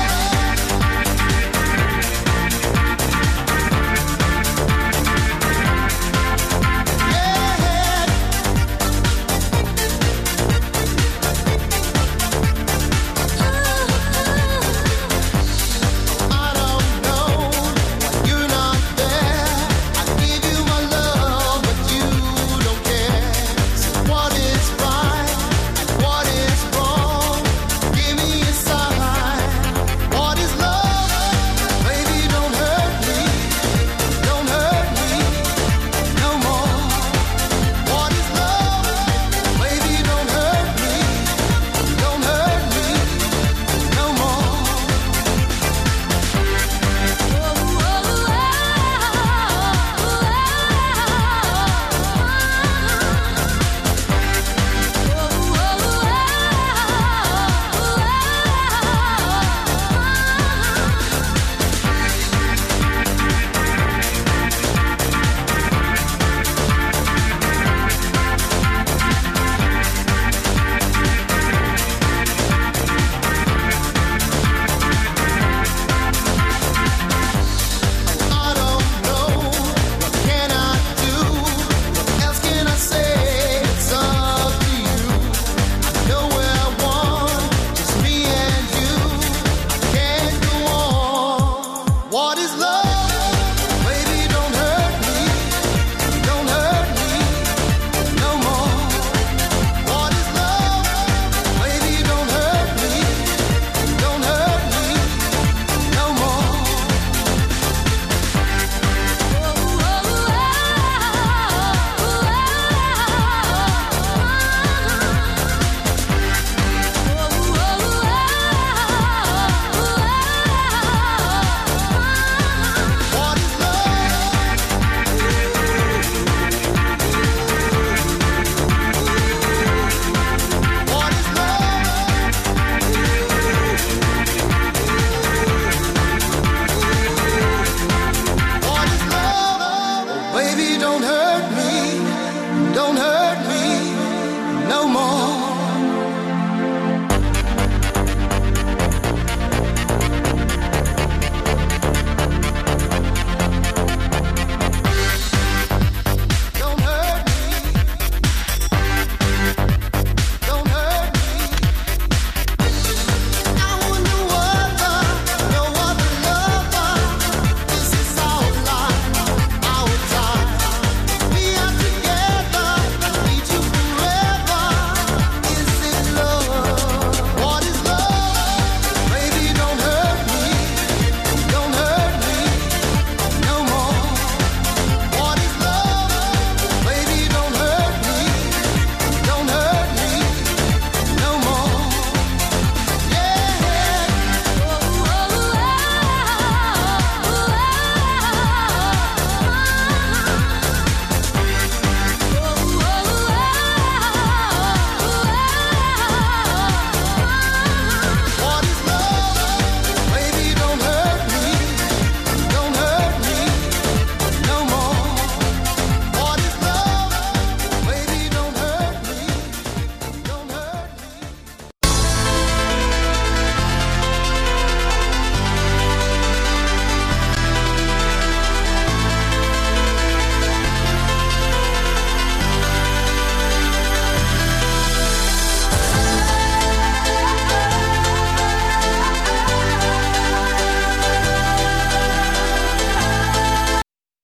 don't hurt me, don't hurt